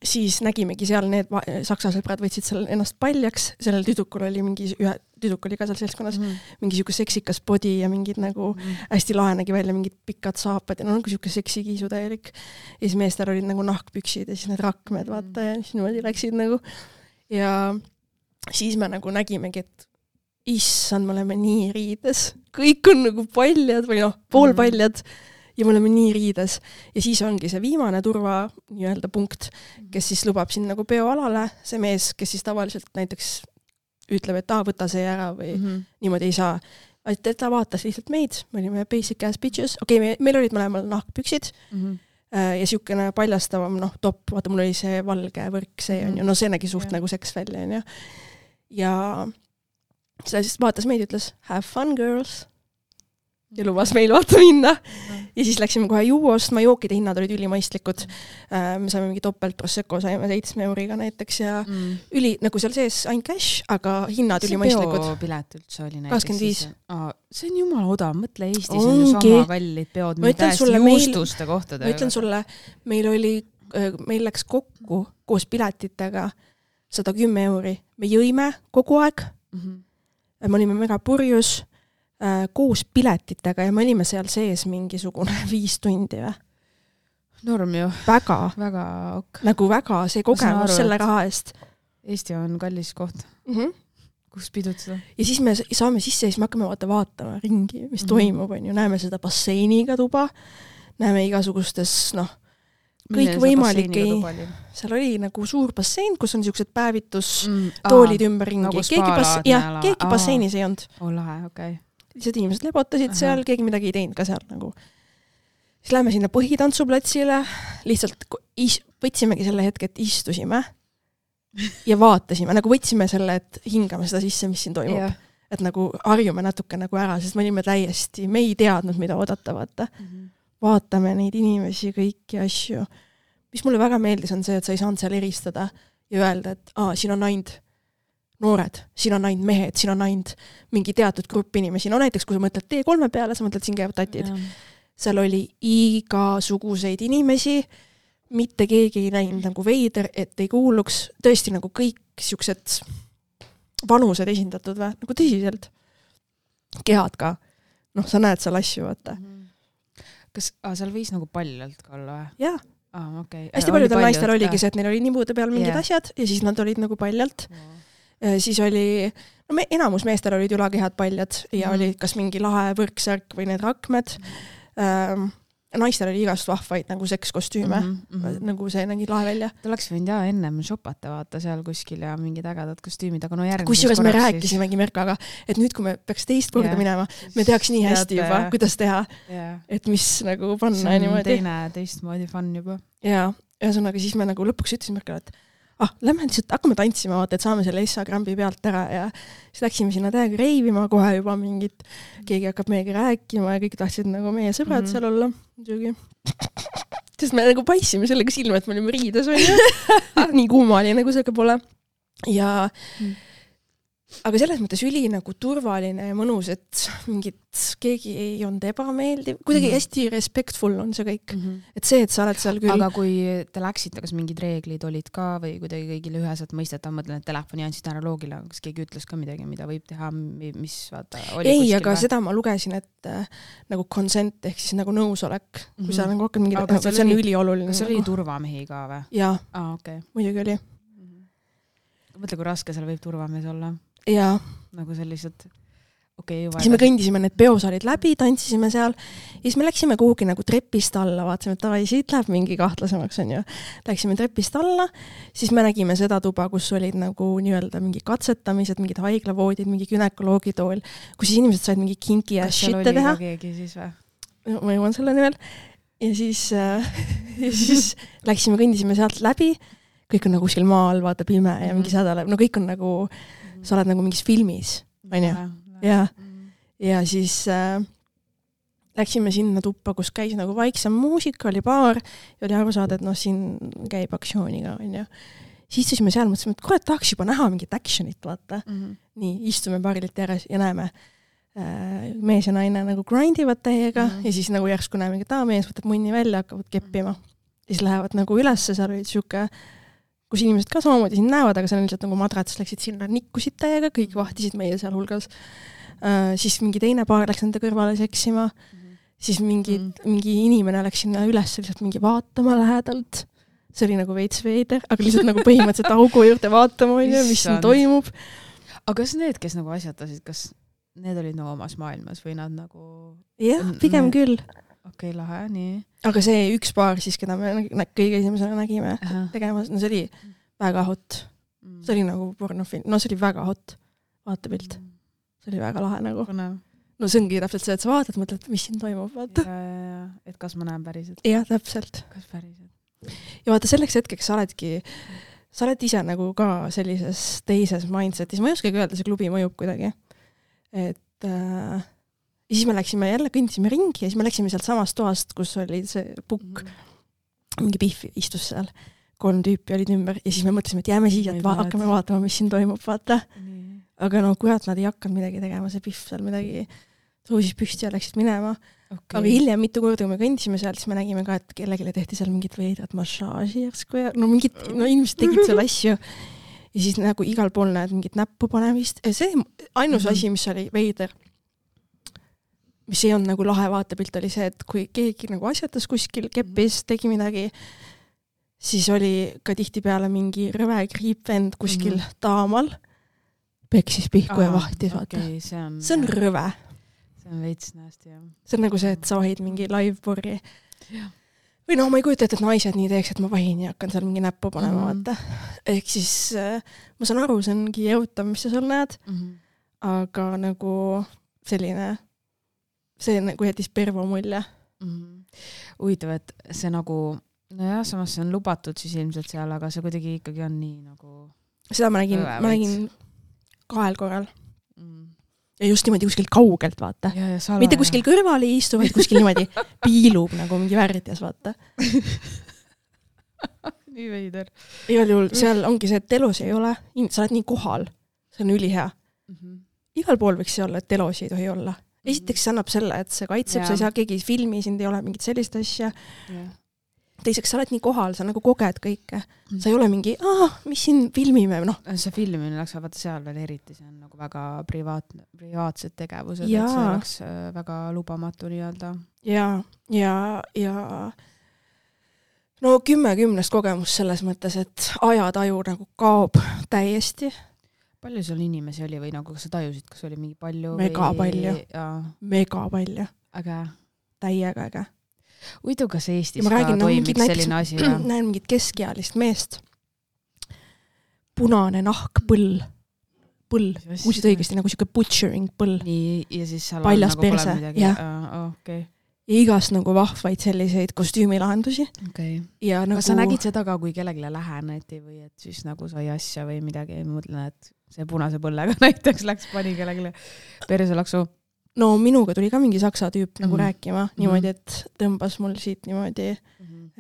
Siis nägimegi seal need saksa sõbrad võtsid seal ennast paljaks, sellel tüdrukul oli mingi tüdruk oli ka seal seltskonnas, mingi siuke seksikas body ja mingid nagu hästi lahe nägi välja, mingid pikad saapad ja no nagu siuke seksikiisu täielik. Ja siis meestel olid nagu nahkpüksid ja siis need rakmed, vaata, ja siis niimoodi läksid nagu. Ja siis me nagu nägimegi, et issand, me oleme nii riides. Kõik on nagu paljad või noh, poolpaljad ja me oleme nii riides. Ja siis ongi see viimane turva nii-öelda punkt, kes siis lubab siin nagu peoalale, see mees, kes siis tavaliselt näiteks ütleb, et võta see ära või niimoodi ei saa. Ta vaatas lihtsalt meid, me olime basic ass bitches. Okei, meil olid mõlemal nahkpüksid ja siukene paljastavam, noh, top, vaata, mul oli see valge võrk, see on ju, no see nägi suht nagu seks välja, on ju. Ja see siis vaatas meid ja ütles, have fun, girls. Ja lubas meil vaata minna. Ja siis läksime kohe juua ostma, jookide hinnad olid ülimaistlikud. Me saime mingi topelt prosecco, saime 7 euriga näiteks ja nagu seal sees ainult cash, aga hinnad ülimaistlikud. See peopilet üldse oli näiteks. 25. See on jumala odav, mõtle Eestis on ju sama kallid peod, mida täiesti juustuste kohtadega. Ma ütlen sulle, meil läks kokku koos piletitega 110 euri. Me jõime kogu aeg. Me olime mega purjus koos piletitega ja me olime seal sees mingisugune 5 tundi või? Norm ju. Väga. Väga ok. Nagu väga see kogemus selle raha eest. Eesti on kallis koht. Kus pidutada. Ja siis me saame sisse ja siis me hakkame vaatama ringi, mis toimub, on ju. Näeme seda basseiniga tuba, näeme igasugustes, noh, kõik võimalik seal oli nagu suur bassein, kus on siuksed päevitustoolid ümberringi. Nagu keegi basseinis ei olnud. Lahe, okei. Lihtsalt inimesed lebotasid seal, keegi midagi ei teinud ka seal nagu. Siis lähme sinna põhitantsuplatsile, lihtsalt võtsimegi selle hetke, et istusime ja vaatasime, nagu võtsime selle, et hingame seda sisse, mis siin toimub. Yeah. Et nagu harjume natuke nagu ära, sest me olime täiesti, me ei teadnud, mida oodata, vaata. Vaatame neid inimesi, kõiki asju. Mis mulle väga meeldis on see, et sa ei saanud seal eristada ja öelda, et siin on ainult noored, siin on ainult mehed, siin on ainult mingi teatud grupp inimesi. No näiteks, kui sa mõtled T3 peale, sa mõtled, siin käivad tatid. Seal oli igasuguseid inimesi, mitte keegi ei näinud nagu veider, et ei kuuluks. Tõesti nagu kõik siuksed vanused esindatud või? Nagu tõsiselt. Kehad ka. Noh, sa näed seal asju, vaata. Kas seal võis nagu paljalt ka olla või? Jaa. Okay. Hästi paljudel naistel oligi see, et neil oli nibude peal mingid asjad ja siis nad olid nagu paljalt. Siis oli, no enamus meestel olid ülakehad paljad ja oli kas mingi lahe võrksärk või need rakmed. Naistel oli igast vahvaid nagu sekskostüüme, nagu see nägi lahe välja. Ta oleks võinud ennem shopata vaata seal kuskil ja mingid ägedad kostüümid, aga no järgmises kusjuures me rääkisimegi Merkaga, et nüüd kui me peaks teist korda minema, me teaks nii hästi juba, kuidas teha, et mis nagu panna ja niimoodi. See on teistmoodi fun juba. Ja ühesõnaga siis me nagu lõpuks ütlesime Merkale, et lähme lihtsalt, hakkame tantsima, vaata, et saame selle Instagrami pealt ära ja siis läksime sinna täiega reivima kohe juba mingit, keegi hakkab meiega rääkima ja kõik tahtsid nagu meie sõbrad seal olla. Muidugi. Sest me nagu paissime sellega silma, et me olime riides või nii kuuma oli nagu see pole. Ja aga selles mõttes üli nagu turvaline ja mõnus, et mingit keegi ei olnud ebameeldiv. Kuidagi hästi respectful on see kõik. Et see, et sa oled seal küll... Aga kui te läksite, kas mingid reeglid olid ka või kuidagi kõigile üheselt mõistetav, mõtlen, et telefoni andsid ära loogile, kas keegi ütles ka midagi, mida võib teha, mis vaata oli ei, aga seda ma lugesin, et nagu consent ehk siis nagu nõusolek, kui sa nagu hakkad mingid... Aga see on ülioluline. Kas oli turvamehi ka või? Jaa, okay. Muidugi oli. Mõtle, kui raske seal võib turvamees olla. Ja nagu sellised siis me kõndisime need peosaalid läbi, tantsisime seal ja siis me läksime kuhugi nagu trepist alla, vaatasime, et siit läheb mingi kahtlasemaks on ju. Läksime trepist alla, siis me nägime seda tuba, kus olid nagu nii-öelda mingi katsetamised, mingid haiglavoodid, mingi gynekoloogitool, kus siis inimesed said mingi kinki ja shitte teha. Kas seal oli keegi siis või? Ma jõuan selle nimel. Ja siis läksime, kõndisime sealt läbi, kõik on nagu kuskil maal, vaata pime ja mingi sädalev, no kõik on nagu sa oled nagu mingis filmis, on ju? Ja siis läksime sinna tuppa, kus käis nagu vaiksem muusika, oli baar ja oli aru saada, et noh, siin käib aktsiooniga, on ju. Siis istusime seal, mõtlesime, et kurat, tahaks juba näha mingit actionit, vaata. Nii, istume baarilt järjes ja näeme mees ja naine nagu grindivad täiega ja siis nagu järsku näeme, et mees võtab munni välja, hakkavad keppima. Ja siis lähevad nagu ülesse, seal olid siuke kus inimesed ka samamoodi sind näevad, aga seal lihtsalt nagu madrats läksid sinna, nikkusid täiega, kõik vahtisid meie seal hulgas. Siis mingi teine paar läks nende kõrvale seksima, siis mingi inimene läks sinna üles lihtsalt mingi vaatama lähedalt. See oli nagu veits veider, aga lihtsalt nagu põhimõtteliselt augu juurde vaatama, mis siin toimub. Aga kas need, kes nagu asjatasid, kas need olid nagu omas maailmas või nad nagu... Jah, pigem küll. Okei, lahe, nii. Aga see üks paar siis, keda me kõige esimesena nägime tegemas, no see oli väga hot. See oli nagu pornofilm. No see oli väga hot vaatepilt. See oli väga lahe nagu. No see ongi täpselt see, et sa vaatad, mõtled, mis siin toimub, vaata. Ja. Et kas ma näen päriselt? Jah, täpselt. Kas päriselt? Ja vaata, selleks hetkeks sa oled ise nagu ka sellises teises mindsetis. Ma ei oskagi öelda, see klubi mõjub kuidagi. Et ja siis me läksime jälle, kõndisime ringi ja siis me läksime sealt samast toast, kus oli see pukk. Mingi Pihv istus seal. 3 tüüpi olid ümber ja siis me mõtlesime, et jääme siia, et hakkame vaatama, mis siin toimub, vaata. Aga no kurat, nad ei hakanud midagi tegema, see Pihv seal midagi tõusis püsti ja läksid minema. Okay. Aga hiljem mitu korda, kui me kõndisime sealt, siis me nägime ka, et kellelegi tehti seal mingit veidrat massaaži järsku ja no inimesed tegid seal asju. Ja siis nagu igal pool näed mingit näppu panemist. Ja see ainus asi, mis oli veider, mis ei olnud nagu lahe vaatepilt, oli see, et kui keegi nagu asjatas kuskil keppis, tegi midagi, siis oli ka tihtipeale mingi rõve kriipvend kuskil taamal, peksis pihku ja vahtis, vaata. Okay, see on rõve. See on veits nästi, jah. See on nagu see, et sa vahid mingi live-porri. Või no ma ei kujuta, et naised nii teeks, et ma vahin ja hakkan seal mingi näppu panema, vaata. Ehk siis ma saan aru, see ongi jõutav, mis sa seal näed, aga nagu selline, see nagu jättis pervo mulje. Huvitav, et see nagu, nojah, samas see on lubatud siis ilmselt seal, aga see kuidagi ikkagi on nii nagu... Seda ma nägin 2 korral. Ja just niimoodi kuskil kaugelt, vaata. Mitte kuskil kõrval ei istu, vaid kuskil niimoodi piilub nagu mingi värdjas, vaata. Nii veider. Igal juhul seal ongi see, et telos ei ole, sa oled nii kohal. See on ülihea. Igal pool võiks see olla, et telos ei tohi olla. Esiteks see annab selle, et see kaitseb, sa ei saa keegi filmi, sind ei ole mingit sellist asja. Teiseks, sa oled nii kohal, sa nagu koged kõike. Sa ei ole mingi, mis siin filmime, noh. See filmimine läks vaata seal veel eriti, see on nagu väga privaatsed tegevused, et see oleks väga lubamatu nii-öelda. Ja no 10 kogemus selles mõttes, et ajataju nagu kaob täiesti. Palju sul inimesi oli või nagu kas sa tajusid, kas oli mingi palju? Mega palju. Aga? Täiega äge. Uitu, kas Eestis ka toimiks selline asi? Näen mingit keskealist meest. Punane nahk, põll. Kuusid õigesti, nagu siuke butchering põll. Nii, ja siis seal paljas nagu perse. Pole midagi. Okay. Ja igast nagu vahvaid selliseid kostüümilahendusi. Okay. Ja nagu... Kas sa nägid seda ka, kui kellegile läheneti või et siis nagu sai asja või midagi? Ma mõtlen, et see punase põllega näiteks pani kellegile perselaksu. No minuga tuli ka mingi saksa tüüp nagu rääkima, niimoodi, et tõmbas mul siit niimoodi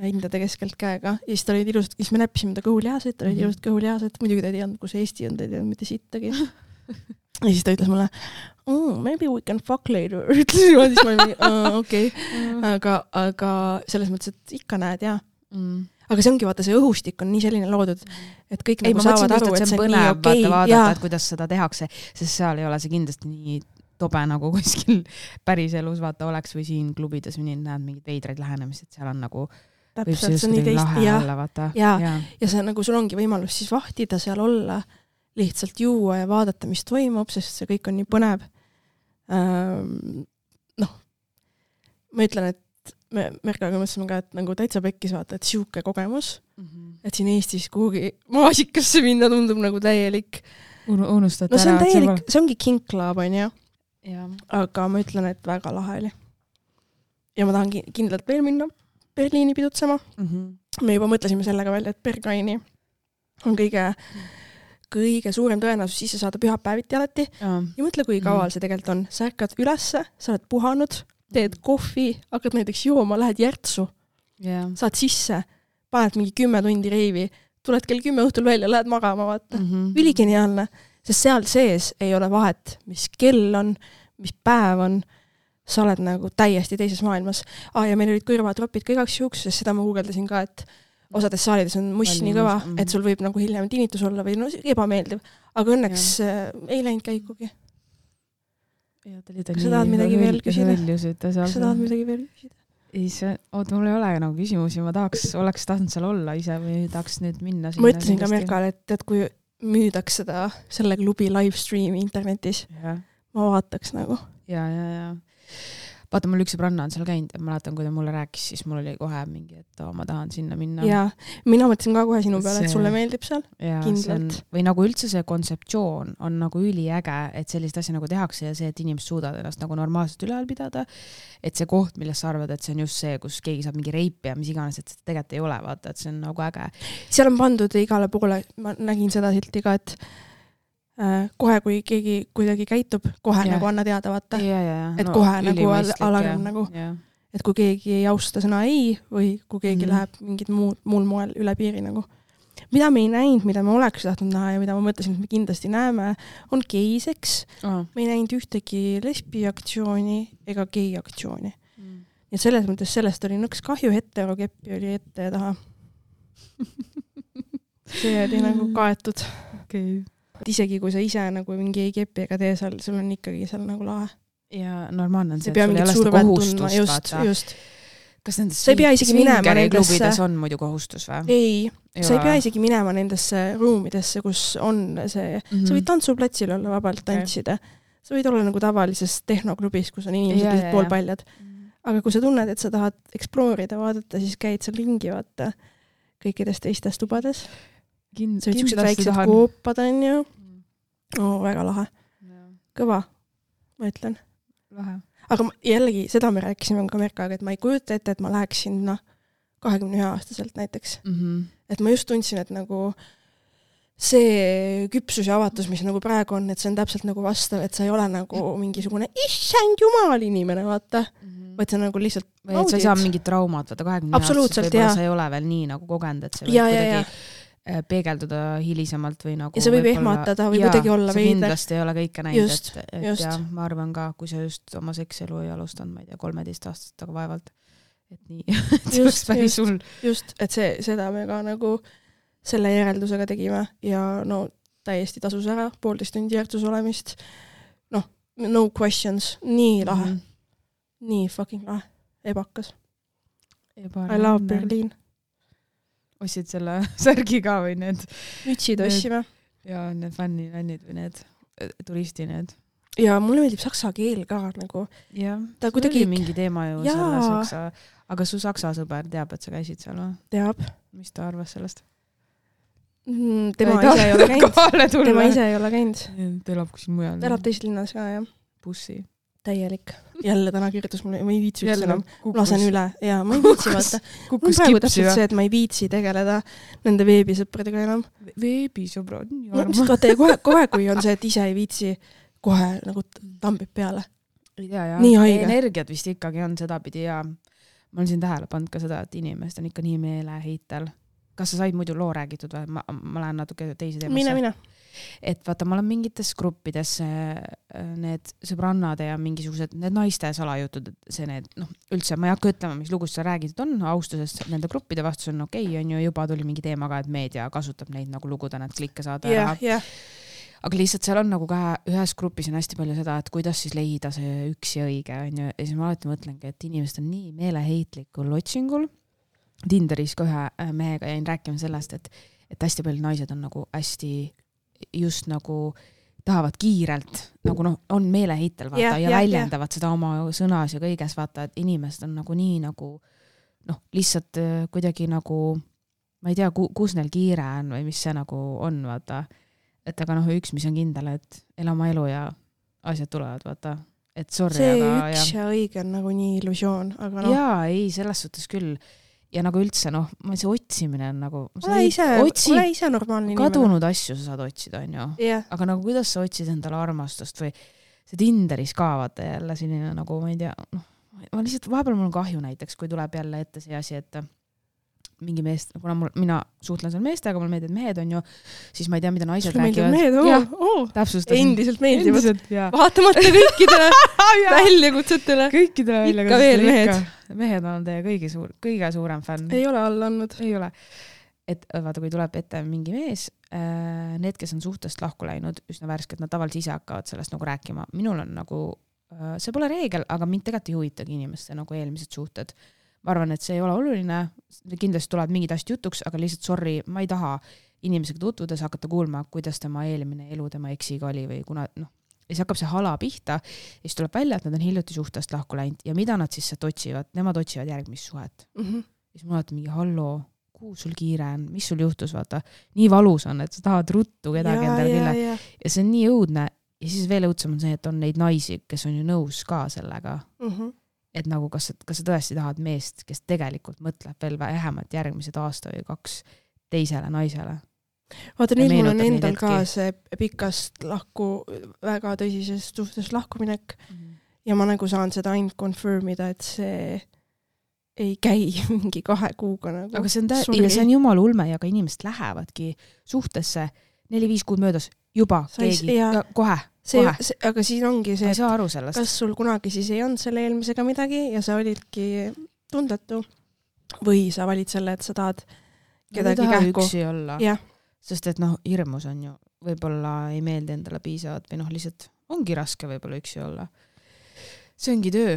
hindade keskelt käega. Ja siis ta olid ilusad, siis me näppisime ta kõhulihased, ta olid ilusad kõhulihased, muidugi ta ei teadnud, kus Eesti on, ta ei teadnud mitte sittagi. Ja siis ta ütles mulle, maybe we can fuck later. Ütles niimoodi, siis ma olin mingi, okei. Aga selles mõttes, et ikka näed, jah. Aga see ongi, vaata, see õhustik on nii selline loodud, et kõik nagu saavad aru, et see on nii okei. Vaadata, et kuidas seda tehakse, sest seal ei ole see kindlasti nii tobe nagu kuskil päris elus vaata oleks või siin klubides või nii näed mingid veidraid lähenemist, et seal on nagu täpselt, see on nii teist ja see nagu sul ongi võimalus siis vahtida seal olla, lihtsalt juua ja vaadata, mis toimub, sest see kõik on nii põnev. Noh, ma ütlen, et me Merkaga mõtlesime ka, et nagu täitsa pekkis vaata, et siuke kogemus, et siin Eestis kuhugi maasikasse minna tundub nagu täielik. Unustad no see on täielik, see ongi kinklaab, on ju. Ja. Aga ma ütlen, et väga lahe oli. Ja ma tahan kindlalt veel minna Berliini pidutsema. Me juba mõtlesime sellega välja, et Berghaini on kõige suurem tõenäosus sisse saada pühapäeviti alati. Ja mõtle, kui kaval see tegelikult on. Sa ärkad ülesse, sa oled puhanud, teed kohvi, hakkad näiteks jooma, lähed järtsu. Saad sisse, paned mingi 10 tundi reivi, tuled kell 10 õhtul välja, lähed magama, vaata. Üligeniaalne. Sest seal sees ei ole vahet, mis kell on, mis päev on, sa oled nagu täiesti teises maailmas. Ja meil olid kõrvatropid ka igaks juhuks, sest seda ma guugeldasin ka, et osades saalides on muss nii kõva, et sul võib nagu hiljem tinnitus olla või no ebameeldiv, aga õnneks ei läinud käikugi. Kas sa tahad midagi veel küsida? Oot, mul ei ole nagu küsimusi, ma oleks tahtnud seal olla ise või tahaks nüüd minna sinna. Ma ütlesin ka Merkale, et kui müüdaks selle klubi livestreami internetis, ma vaataks nagu. Ja. Vaata, mul üks sõbranna on seal käinud ja ma mäletan, kui ta mulle rääkis, siis mul oli kohe mingi, et ma tahan sinna minna. Ja, mina mõtlesin ka kohe sinu peale, et sulle meeldib seal kindlalt. Või nagu üldse see kontseptsioon on nagu üliäge, et sellist asja nagu tehakse ja see, et inimesed suudavad ennast nagu normaalselt üleval pidada, et see koht, millest sa arvad, et see on just see, kus keegi saab mingi reipi ja mis iganes, et seda tegelikult ei ole, vaata, et see on nagu äge. Seal on pandud igale poole, ma nägin seda silti ka, et kohe, kui keegi kuidagi käitub, kohe nagu anna teada, vaata. Et kohe nagu alarm nagu. Et kui keegi ei austa sõna ei või kui keegi läheb mingid muul moel üle piiri nagu. Mida me ei näinud, mida me oleks tahtnud näha ja mida ma mõtlesin, et me kindlasti näeme, on geiseks. Me ei näinud ühtegi lesbiaktsiooni ega geiaktsiooni. Ja selles mõttes sellest oli nõks kahju, heterokeppi oli ette ja taha. See oli nagu kaetud. Okei. Isegi kui sa ise nagu mingi ei kepi ega tee seal, sul on ikkagi seal nagu lahe. Ja normaalne on see, et sul ei ole seda kohustust, vaata. Just. Kas nendes sa ei pea isegi minema nendesse on muidu kohustus või? Ei, sa ei pea isegi minema nendesse ruumidesse, kus on see, sa võid tantsuplatsil olla vabalt tantsida. Sa võid olla nagu tavalises tehnoklubis, kus on inimesed poolpaljad. Aga kui sa tunned, et sa tahad exploorida, vaadata, siis käid seal ringi vaata kõikides teistes tubades. Sa võid siuksed väiksed koopad on ju. Väga lahe. Kõva, ma ütlen. Lahe. Aga jällegi, seda me rääkisime ka Merkaga, et ma ei kujuta ette, et ma läheksin 21-aastaselt näiteks. Et ma just tundsin, et nagu see küpsus ja avatus, mis nagu praegu on, et see on täpselt nagu vastav, et sa ei ole nagu mingisugune issand jumal inimene, vaata. Vaid see on nagu lihtsalt või et sa ei saa mingit traumat, vaata 20-aastaselt võib-olla sa ei ole veel nii nagu kogenud, et see võib kuidagi peegelduda hilisemalt või nagu ja see võib ehmatada või kuidagi olla veide. Kindlasti ei ole kõike näinud, et ja ma arvan ka, kui sa just oma sekselu ei alustanud, ma ei tea, 13 aastast aga vaevalt, et nii, just, et seda me ka nagu selle järeldusega tegime ja no täiesti tasus ära 1,5 tundi järgsus olemist, no questions, nii lahe, nii fucking lahe, ebakas. I love Berliin. Ostsid selle särgi ka või need mütsid ossime. Ja need fännid või need turisti need. Ja mulle meeldib saksa keel ka nagu. Ja, ta kuidagi oli mingi teema ju selle saksa, aga su saksa sõber teab, et sa käisid seal või? Teab. Mis ta arvas sellest? Tema ise ei ole käinud. Tema ise ei ole käinud. Ta elab kuskil mujal. Ta elab teises linnas ka, jah. Bussi. Täielik. Jälle täna kirjutas mulle, ma ei viitsi üldse enam. Lasen üle. Ja ma ei viitsi vaata. Mul praegu täpselt see, et ma ei viitsi tegeleda nende veebisõpradega enam. Veebisõbrad? Kohe, kui on see, et ise ei viitsi, kohe nagu tambib peale. Ja. Nii haige. Energiat vist ikkagi on sedapidi ja ma olen siin tähele pannud ka seda, et inimesed on ikka nii meeleheitel. Kas sa said muidu loo räägitud või? Ma lähen natuke teise teemasse. Mine. Et vaata, ma olen mingites gruppides need sõbrannade ja mingisugused need naiste salajutud, see need, üldse ma ei hakka ütlema, mis lugust sa räägitud on, austusest nende gruppide vastus on okei, on ju juba tuli mingi teema ka, et meedia kasutab neid nagu luguda, need klikke saada ära. Aga lihtsalt seal on nagu ka ühes grupis on hästi palju seda, et kuidas siis leida see üks ja õige, on ju, ja siis ma alati mõtlengi, et inimesed on nii meeleheitlikul otsingul. Tinderis ka ühe mehega jäin rääkima sellest, et hästi palju naised on nagu hästi just nagu tahavad kiirelt, nagu on meeleheitel vaata ja väljendavad seda oma sõnas ja kõiges vaata, et inimesed on nagu nii nagu lihtsalt kuidagi nagu ma ei tea, kus neil kiire on või mis see nagu on, vaata. Et aga üks, mis on kindel, et ela oma elu ja asjad tulevad, vaata. Et sorry, see aga üks ja õige on nagu nii illusioon, aga Jaa, ei, selles suhtes küll. Ja nagu üldse, see otsimine on nagu ole ise normaalne inimene. Kadunud asju sa saad otsida, on ju. Aga nagu kuidas sa otsid endale armastust või see Tinderis ka vaata jälle selline nagu, ma ei tea, ma lihtsalt vahepeal mul on kahju näiteks, kui tuleb jälle ette see asi, et mingi meest, kuna mina suhtlen seal meestega, mulle meeldivad mehed on ju, siis ma ei tea, mida naised räägivad. Mehed, täpsustasin. Endiselt meeldivad. Vaatamata kõikidele väljakutsetele. Kõikidele väljakutsetele. Ikka veel mehed. Mehed on teie kõige suurem fänn. Ei ole alla andnud. Ei ole. Et vaata, kui tuleb ette mingi mees, need, kes on suhtest lahku läinud, üsna värsked, nad tavaliselt ise hakkavad sellest nagu rääkima. Minul on nagu, see pole reegel, aga mind tegelikult ei huvitagi inimeste nagu eelmised suhted. Ma arvan, et see ei ole oluline, kindlasti tuleb mingid asjad jutuks, aga lihtsalt sorry, ma ei taha inimesega tutvudes hakata kuulma, kuidas tema eelmine elu tema eksiga oli või kuna, ja siis hakkab see hala pihta ja siis tuleb välja, et nad on hiljuti suhtest lahku läinud ja mida nad siis sealt otsivad? Nemad otsivad järgmist suhet. Siis ma olen mingi halloo, kuhu sul kiire on, mis sul juhtus, vaata, nii valus on, et sa tahad ruttu kedagi endale külle ja see on nii õudne ja siis veel õudsem on see, et on neid naisi, kes on ju nõus ka sellega, et nagu kas sa tõesti tahad meest, kes tegelikult mõtleb veel vähemalt järgmised aasta või 2 teisele naisele. Vaata, nüüd mul on endal ka see pikast väga tõsisest suhtest lahkuminek ja ma nagu saan seda ainult confirmida, et see ei käi mingi 2 kuuga nagu. Aga see on jumala ulme ja ka inimesed lähevadki suhtesse 4-5 kuud möödas juba keegi ja kohe. Aga siin ongi see, et kas sul kunagi siis ei olnud selle eelmisega midagi ja sa olidki tundetu või sa valid selle, et sa tahad kedagi kähku. Üksi olla. Sest et hirmus on ju, võib-olla ei meeldi endale piisavad või lihtsalt ongi raske võib-olla üksi olla. See ongi töö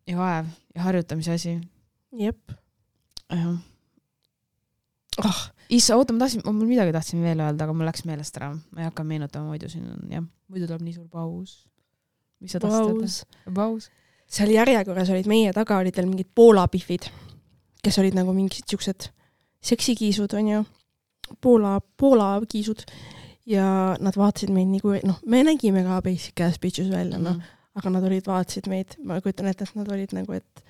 ja vaev ja harjutamise asi. Jep. Oota, ma midagi tahtsin veel öelda, aga mul läks meelest ära. Ma ei hakka meenutama, muidu siin on, muidu tuleb nii suur paus. Mis sa tahtsid? Paus. Seal järjekorras olid meie taga, olid veel mingid Poola pihvid, kes olid nagu mingid siuksed seksikiisud, on ju. Poola kiisud. Ja nad vaatasid meid nii kui, me nägime ka basic ass bitches välja, aga nad vaatasid meid, ma kujutan ette, et nad olid nagu, et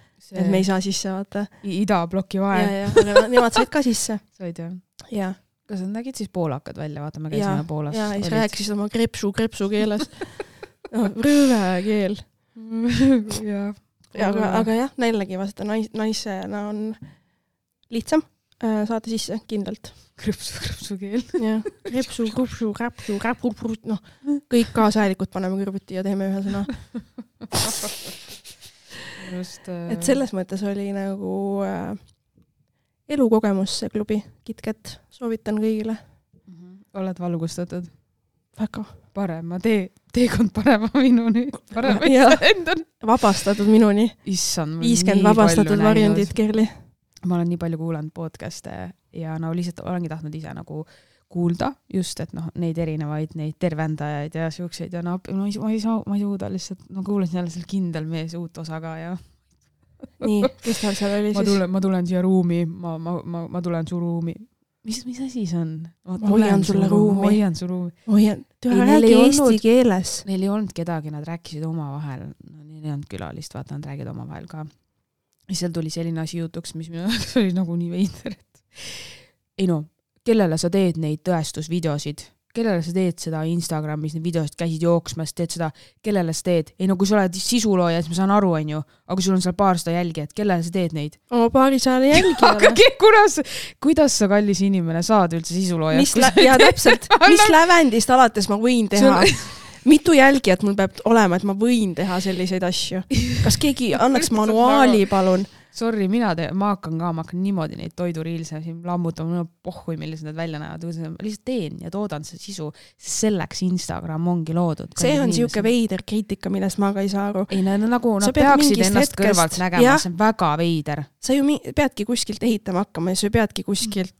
me ei saa sisse vaata. Idabloki vahe. Aga nemad said ka sisse. Said jah? Jaa. Kas nad nägid siis poolakad välja? Vaata, me käisime Poolas. Ja siis rääkisid oma krepsu keeles. Rõve keel. Aga jah, näilegi vasta naisena on lihtsam saada sisse kindlalt. Krepsu keel. Jah, krepsu, kõik kaasajalikud paneme kõrvuti ja teeme ühe sõna. Et selles mõttes oli nagu elukogemus see klubi KitKat, soovitan kõigile. Oled valgustatud? Väga. Parema teekond parema minuni. Vabastatud minuni. Issand, 50 vabastatud varjundid, Kerli. Ma olen nii palju kuulanud podcaste ja lihtsalt olengi tahtnud ise nagu kuulda just, et neid erinevaid, neid tervendajaid ja siukseid ja ma ei suuda lihtsalt, kuulasin jälle seal kindel mees uut osa ka ja nii, kes tal seal oli siis? Ma tulen siia ruumi, ma tulen su ruumi. Mis asi see on? Ma hoian sulle ruumi. Hoian su ruumi. Räägi eesti keeles. Neil ei olnud kedagi, nad rääkisid oma vahel. Neil ei olnud külalist, vaata, nad räägid oma vahel ka. Ja seal tuli selline asi jutuks, mis minu oli nagu nii veider. Ei kellele sa teed neid tõestusvideosid, kellele sa teed seda Instagramis, neid videosid käisid jooksmas, teed seda, kellele sa teed. Ei kui sa oled sisulooja, siis ma saan aru, on ju, aga sul on seal 200 jälgijat, kellele sa teed neid? Oma 200 jälgijale. Aga kuidas sa kallis inimene saad üldse sisulooja? Ja täpselt, mis lävendist alates ma võin teha? Mitu jälgijat mul peab olema, et ma võin teha selliseid asju? Kas keegi annaks manuaali, palun? Sorry, ma hakkan niimoodi neid toiduriilse lammutama, pohhui, millised need välja näevad. Lihtsalt teen ja toodan see sisu, sest selleks Instagram ongi loodud. See on siuke veider kriitika, millest ma ka ei saa aru. Ei, nagu nad peaksid ennast kõrvalt nägema, see on väga veider. Sa ju peadki kuskilt ehitama hakkama ja sa peadki kuskilt...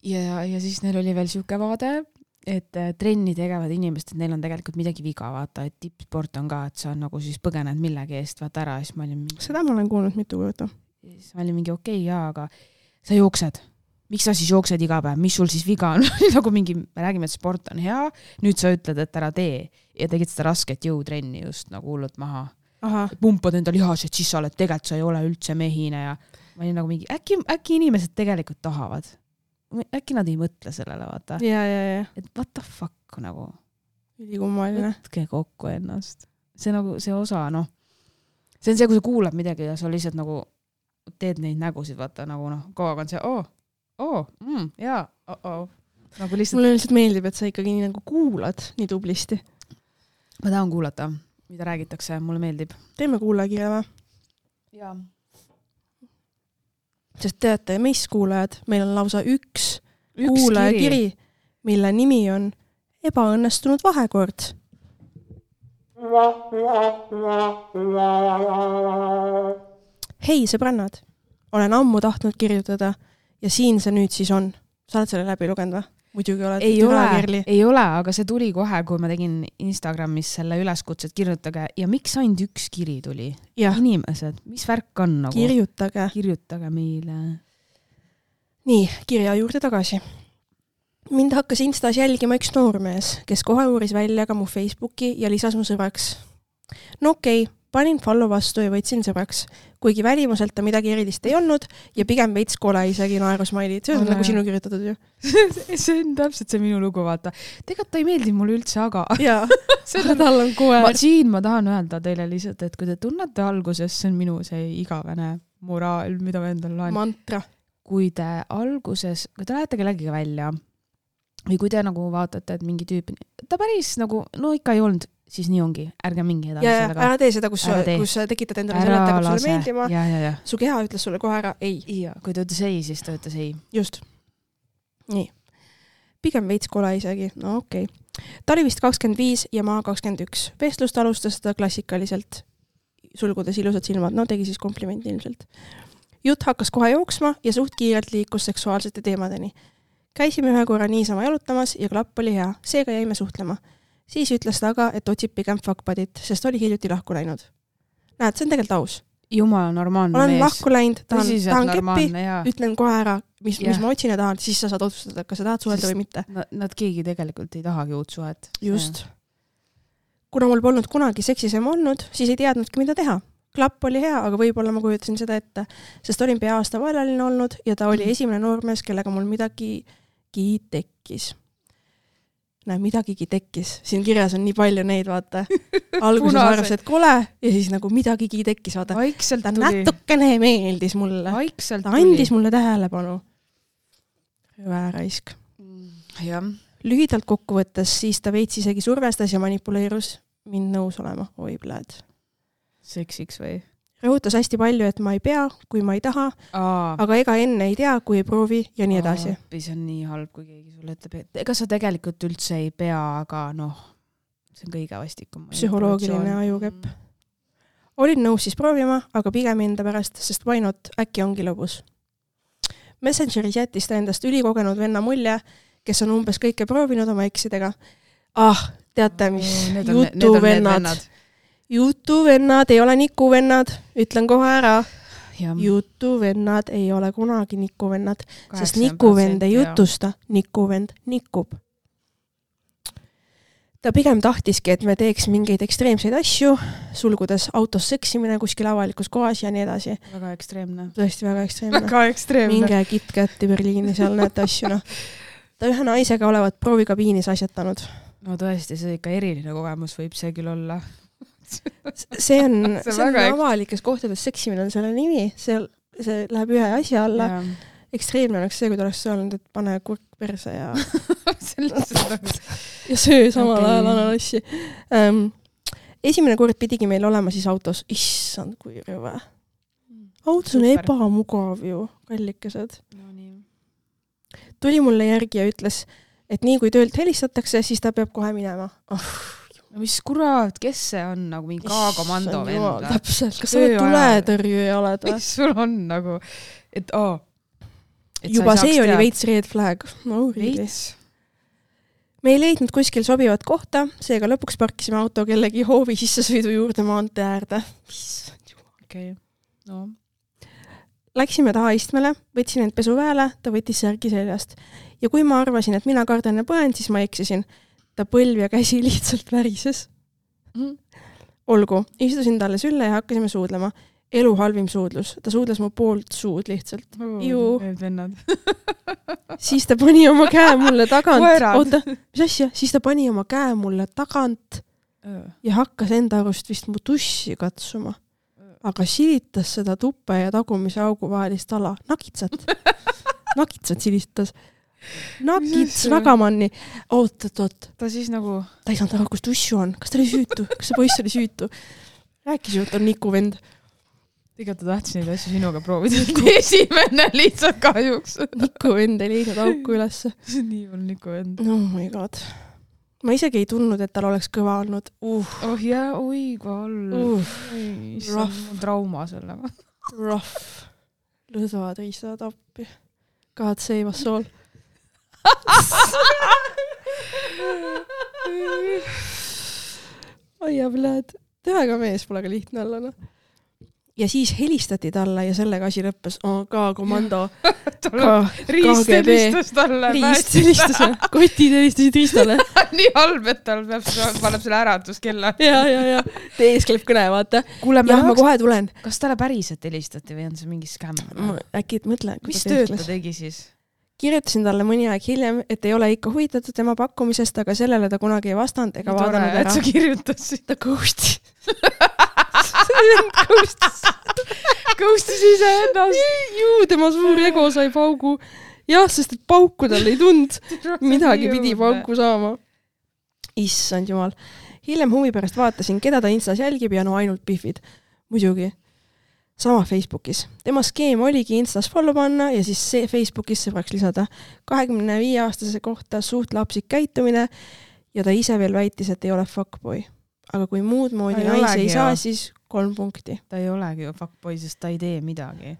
Ja siis neil oli veel siuke vaade, et trenni tegevad inimest, et neil on tegelikult midagi viga, vaata, et tippsport on ka, et sa on nagu siis põgened millegi eest, vaata ära, siis ma olin mingi... Seda ma olen kuulnud mitu korda. Siis ma olin mingi okei, aga sa jooksed. Miks sa siis jooksed iga päev? Mis sul siis viga on? Nagu mingi, me räägime, et sport on hea, nüüd sa ütled, et ära tee ja tegid seda rasket jõutrenni just nagu hullult maha. Pumpad enda lihased, siis sa oled, tegelikult sa ei ole üldse mehine ja ma olin nagu mingi, äkki inimesed tegelikult tahavad. Äkki nad ei mõtle sellele, vaata. Ja. Et what the fuck nagu. Ülikummaline. Võtke kokku ennast. See nagu, see osa, see on see, kui sa kuulad midagi ja sa lihtsalt nagu teed neid nägusid, vaata nagu kogu aeg on see jaa, nagu lihtsalt. Mulle lihtsalt meeldib, et sa ikkagi nii nagu kuulad nii tublisti. Ma tahan kuulata, mida räägitakse, mulle meeldib. Teeme kuulajakirja või? Jaa. Sest teate, meist kuulajad, meil on lausa üks kuulajakiri, mille nimi on ebaõnnestunud vahekord. Hei, sõbrannad, olen ammu tahtnud kirjutada ja siin see nüüd siis on. Sa oled selle läbi lugenud või? Muidugi oled. Ei ole, aga see tuli kohe, kui ma tegin Instagramis selle üleskutset kirjutage ja miks ainult üks kiri tuli? Ja. Inimesed, mis värk on nagu? Kirjutage meile. Nii, kirja juurde tagasi. Mind hakkas Instas jälgima üks noormees, kes kohe uuris välja ka mu Facebooki ja lisas mu sõbraks. No okei, panin follow vastu ja võtsin sõbraks, kuigi välimuselt ta midagi erilist ei olnud ja pigem veits kole isegi naerusmailid. See on nagu sinu kirjutatud ju. See on täpselt see minu lugu, vaata. Tegelikult ta ei meeldi mulle üldse, aga... Jaa, tal on koer. Siin ma tahan öelda teile lihtsalt, et kui te tunnete alguses, see on minu see igavene moraal, mida ma endale laen. Mantra. Kui te alguses, kui te lähete kellegiga välja või kui te nagu vaatate, et mingi tüüp, ta päris nagu, no ikka ei olnud, siis nii ongi, ärge mingi edasi sellega. Ära tee seda, kus sa tekitad endale selle, et hakkab sulle meeldima. Ja. Su keha ütles sulle kohe ära ei. Ja, kui ta ütles ei, siis ta ütles ei. Just. Nii. Pigem veits kole isegi. No okei. Ta oli vist 25 ja ma 21. Vestlust alustas ta klassikaliselt. Sulgudes ilusad silmad. No tegi siis komplimenti ilmselt. Jutt hakkas kohe jooksma ja suht kiirelt liikus seksuaalsete teemadeni. Käisime ühe korra niisama jalutamas ja klapp oli hea. Seega jäime suhtlema. Siis ütles ta aga, et otsib pigem fuckbudit, sest oli hiljuti lahku läinud. Näed, see on tegelikult aus. Jumala normaalne mees. Olen lahku läinud, tahan keppi, ütlen kohe ära, mis ma otsin ja tahan, siis sa saad otsustada, kas sa tahad suhelda või mitte. Nad keegi tegelikult ei tahagi uut suhet. Just. Kuna mul polnud kunagi seksisem olnud, siis ei teadnudki, mida teha. Klapp oli hea, aga võib-olla ma kujutasin seda ette, sest olin pea aasta vaelaline olnud ja ta oli esimene noormees, kellega mul midagigi tekkis. Näe, midagigi tekkis. Siin kirjas on nii palju neid, vaata. Alguses arvas, et kole ja siis nagu midagigi tekkis, vaata. Ta natukene meeldis mulle. Ta andis mulle tähelepanu. Vääraisk. Ja. Lühidalt kokkuvõttes, siis ta veits isegi survestas ja manipuleerus mind nõus olema. Oi, pläed. Seksiks või? Rõhutas hästi palju, et ma ei pea, kui ma ei taha, aga ega enne ei tea, kui ei proovi ja nii edasi. See on nii halb, kui keegi sulle ütleb, et ega sa tegelikult üldse ei pea, aga see on kõige vastikum. Psühholoogiline ajukepp. Olin nõus siis proovima, aga pigem enda pärast, sest why not, äkki ongi lõbus. Messengeris jättis ta endast ülikogenud venna mulje, kes on umbes kõike proovinud oma eksidega. Teate, mis jutuvennad. Jutuvennad ei ole nikuvennad, ütlen kohe ära. Jutuvennad ei ole kunagi nikuvennad, sest nikuvend ei jutusta, nikuvend nikub. Ta pigem tahtiski, et me teeks mingeid ekstreemseid asju, sulgudes autos seksimine kuskil avalikus kohas ja nii edasi. Väga ekstreemne. Tõesti väga ekstreemne. Minge KitKati Berliini, seal näete asju. Ta ühe naisega olevat proovikabiinis asjatanud. No tõesti, see ikka eriline kogemus võib see küll olla. See on avalikes kohtades seksimine on selle nimi, see läheb ühe asja alla. Ekstreemne oleks see, kui ta oleks öelnud, et pane kurk perse ja söö samal ajal ananassi. Esimene kord pidigi meil olema siis autos. Issand, kui rõve. Autos on ebamugav ju, kallikesed. Tuli mulle järgi ja ütles, et nii kui töölt helistatakse, siis ta peab kohe minema. Mis kurat, kes see on nagu mingi K-komando vend? Täpselt, kas sa oled tuletõrjuja oled või? Mis sul on nagu, et juba see oli veits red flag. No, veits. Me ei leidnud kuskil sobivat kohta, seega lõpuks parkisime auto kellegi hoovi sissesõidu juurde maantee äärde. Okei, no. Läksime taha istmele, võtsin end pesuväele, ta võttis särgi seljast. Ja kui ma arvasin, et mina kardan ja põen, siis ma eksisin. Ta põlv ja käsi lihtsalt värises. Olgu, istusin talle sülle ja hakkasime suudlema. Elu halvim suudlus. Ta suudles mu poolt suud lihtsalt. Siis ta pani oma käe mulle tagant. Oota, mis asja? Siis ta pani oma käe mulle tagant ja hakkas enda arust vist mu tussi katsuma. aga silitas seda tuppe ja tagumise augu vahelist ala. Nakitsat silitas. Nakits Ragamanni. Oot. Ta siis nagu... Ta ei saanud aru, kus tussu on. Kas ta oli süütu? Kas see poiss oli süütu? Rääkis ju, et on Niku vend. Tegelikult ta tahtis neid asju sinuga proovida. Esimene lihtsalt kahjuks. Niku vend ei leidnud auku ülesse. See on nii hull Niku vend. Oh my god. Ma isegi ei tundnud, et tal oleks kõva olnud. Oh jaa, oi, kui hull. Rough. Trauma sellega. Rough. Lõdvad riistavad appi. God save us all. Aia, bled. Tähega mees pole ka lihtne olla, no. Ja siis helistati talle ja sellega asi lõppes. Ka komando. Riist helistas talle. Riist helistas. Kotid helistasid Riistale. Nii halb, et tal paneb selle äratuskella. Ja. Teeskleb kõne, vaata. Jah, ma kohe tulen. Kas talle päriselt helistati või on see mingi skämm? Äkki mõtle. Mis tööd ta tegi siis? Kirjutasin talle mõni aeg hiljem, et ei ole ikka huvitatud tema pakkumisest, aga sellele ta kunagi ei vastanud ega vaadanud ära. Et sa kirjutasid. Ta ghostis. Ghostis ise ennast. Juu, tema suur ego sai paugu. Jah, sest et pauku tal ei tund. Midagi pidi pauku saama. Issand jumal. Hiljem huvi pärast vaatasin, keda ta Instas jälgib ja no ainult pihvid. Muidugi. Sama Facebookis. Tema skeem oligi Instas follow panna ja siis Facebookis sõbraks lisada 25-aastase kohta suht lapsik käitumine ja ta ise veel väitis, et ei ole fuckboy. Aga kui muud moodi naisi ei saa, siis 3 punkti. Ta ei olegi ju fuckboy, sest ta ei tee midagi.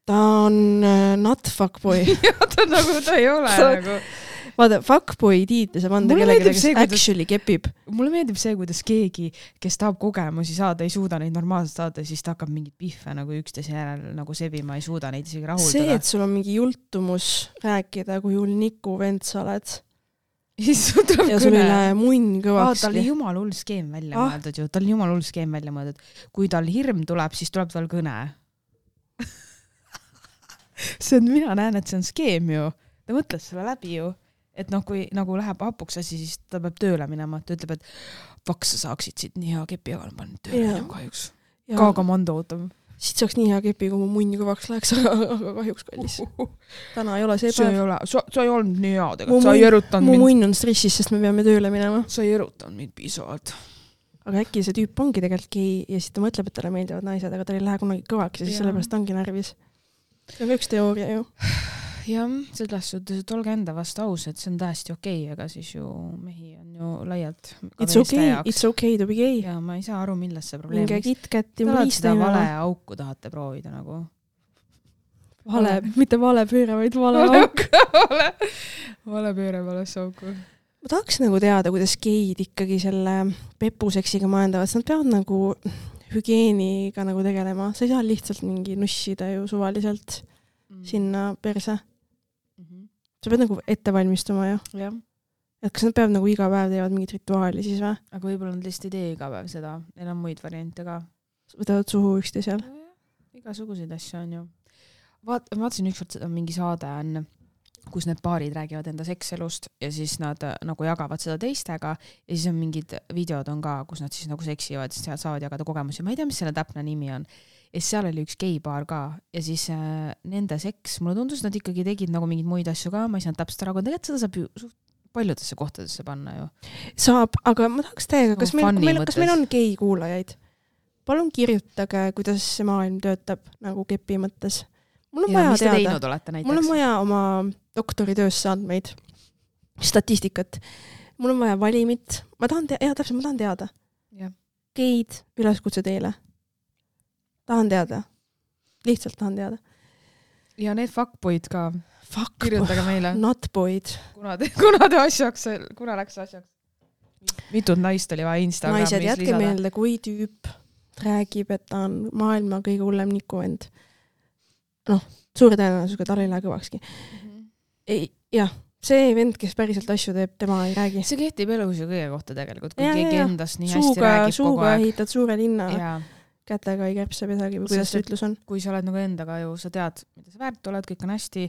Ta on not fuckboy. ta ei ole nagu... Vaata, fuckboy tiitli saab anda kellegi, kes actually kepib. Mulle meeldib see, kuidas keegi, kes tahab kogemusi saada, ei suuda neid normaalselt saada, siis ta hakkab mingit pihve nagu üksteise järel nagu sebima, ei suuda neid isegi rahuldada. See, et sul on mingi jultumus rääkida, kui hull Niku vend sa oled. Ja sul ei lähe munn kõvakski. Tal oli jumal hull skeem välja mõeldud ju. Tal oli jumal hull skeem välja mõeldud. Kui tal hirm tuleb, siis tuleb tal kõne. Mina näen, et see on skeem ju. Ta mõtles selle läbi ju. Et noh, kui nagu läheb hapuks asi, siis ta peab tööle minema. Ta ütleb, et vaks sa saaksid siit nii hea kepi, aga ma panen tööle minema kahjuks. Ka komando ootab. Siit saaks nii hea kepi, kui mu munn kõvaks läheks, aga kahjuks kallis. Täna ei ole see päev. Sa ei olnud nii hea tegelikult. Sa ei erutanud mind. Mu munn on stressis, sest me peame tööle minema. Sa ei erutanud mind piisavalt. Aga äkki see tüüp ongi tegelikult gei ja siis ta mõtleb, et talle meeldivad naised, aga ta ei lähe kunagi kõvaks ja siis sellepärast ongi närvis. See on üks teooria ju. Jah, selles suhtes, et olge enda vastu aus, et see on täiesti okei, aga siis ju mehi on ju laialt It's okay to be gay. Ja ma ei saa aru, milles see probleem. Minge KitKati mõista. Seda vale auku tahate proovida nagu. Mitte vale pööre, vaid vale auk. Vale pööre valesse auku. Ma tahaks nagu teada, kuidas geid ikkagi selle pepuseksiga majandavad. Nad peavad nagu hügieeniga nagu tegelema. Sa ei saa lihtsalt mingi nussida ju suvaliselt sinna perse. Sa pead nagu ette valmistuma ju. Jah. Et kas nad peavad nagu iga päev teevad mingit rituaali siis või? Aga võib-olla nad lihtsalt ei tee iga päev seda. Neil on muid variante ka. Võtavad suhu ükste seal? Igasuguseid asju on ju. Vaatasin ükskord seda mingi saade on, kus need paarid räägivad enda sekselust ja siis nad nagu jagavad seda teistega ja siis on mingid videod on ka, kus nad siis nagu seksivad, siis seal saavad jagada kogemusi. Ma ei tea, mis selle täpne nimi on. Ja seal oli üks geipaar ka ja siis nende seks, mulle tundus, nad ikkagi tegid nagu mingid muid asju ka, ma ei saanud täpselt ära, aga tegelikult seda saab ju paljudesse kohtadesse panna ju. Saab, aga ma tahaks täiega, kas meil on gei kuulajaid? Palun kirjutage, kuidas see maailm töötab nagu kepi mõttes. Mul on vaja teada. Mul on vaja oma doktoritöösse andmeid, statistikat. Mul on vaja valimit. Ma tahan teada. Geid üleskutse teile. Tahan teada. Lihtsalt tahan teada. Ja need fuckboyd ka. Kirjutage meile. Notboyd. Kuna läks asjaks? Mitud naist oli vaja Instagramis lisada. Naised, jätke meelde, kui tüüp räägib, et ta on maailma kõige hullem Niku-vend. Suure tõenäosusega tal ei lähe kõvakski. Jah, see vend, kes päriselt asju teeb, tema ei räägi. See kehtib elus ju kõige kohta tegelikult, kui keegi endast nii hästi räägib kogu aeg. Suuga ehitad suure linna, kätega ei käpse midagi või kuidas see ütlus on. Kui sa oled nagu endaga ju, sa tead, mida sa väärt oled, kõik on hästi,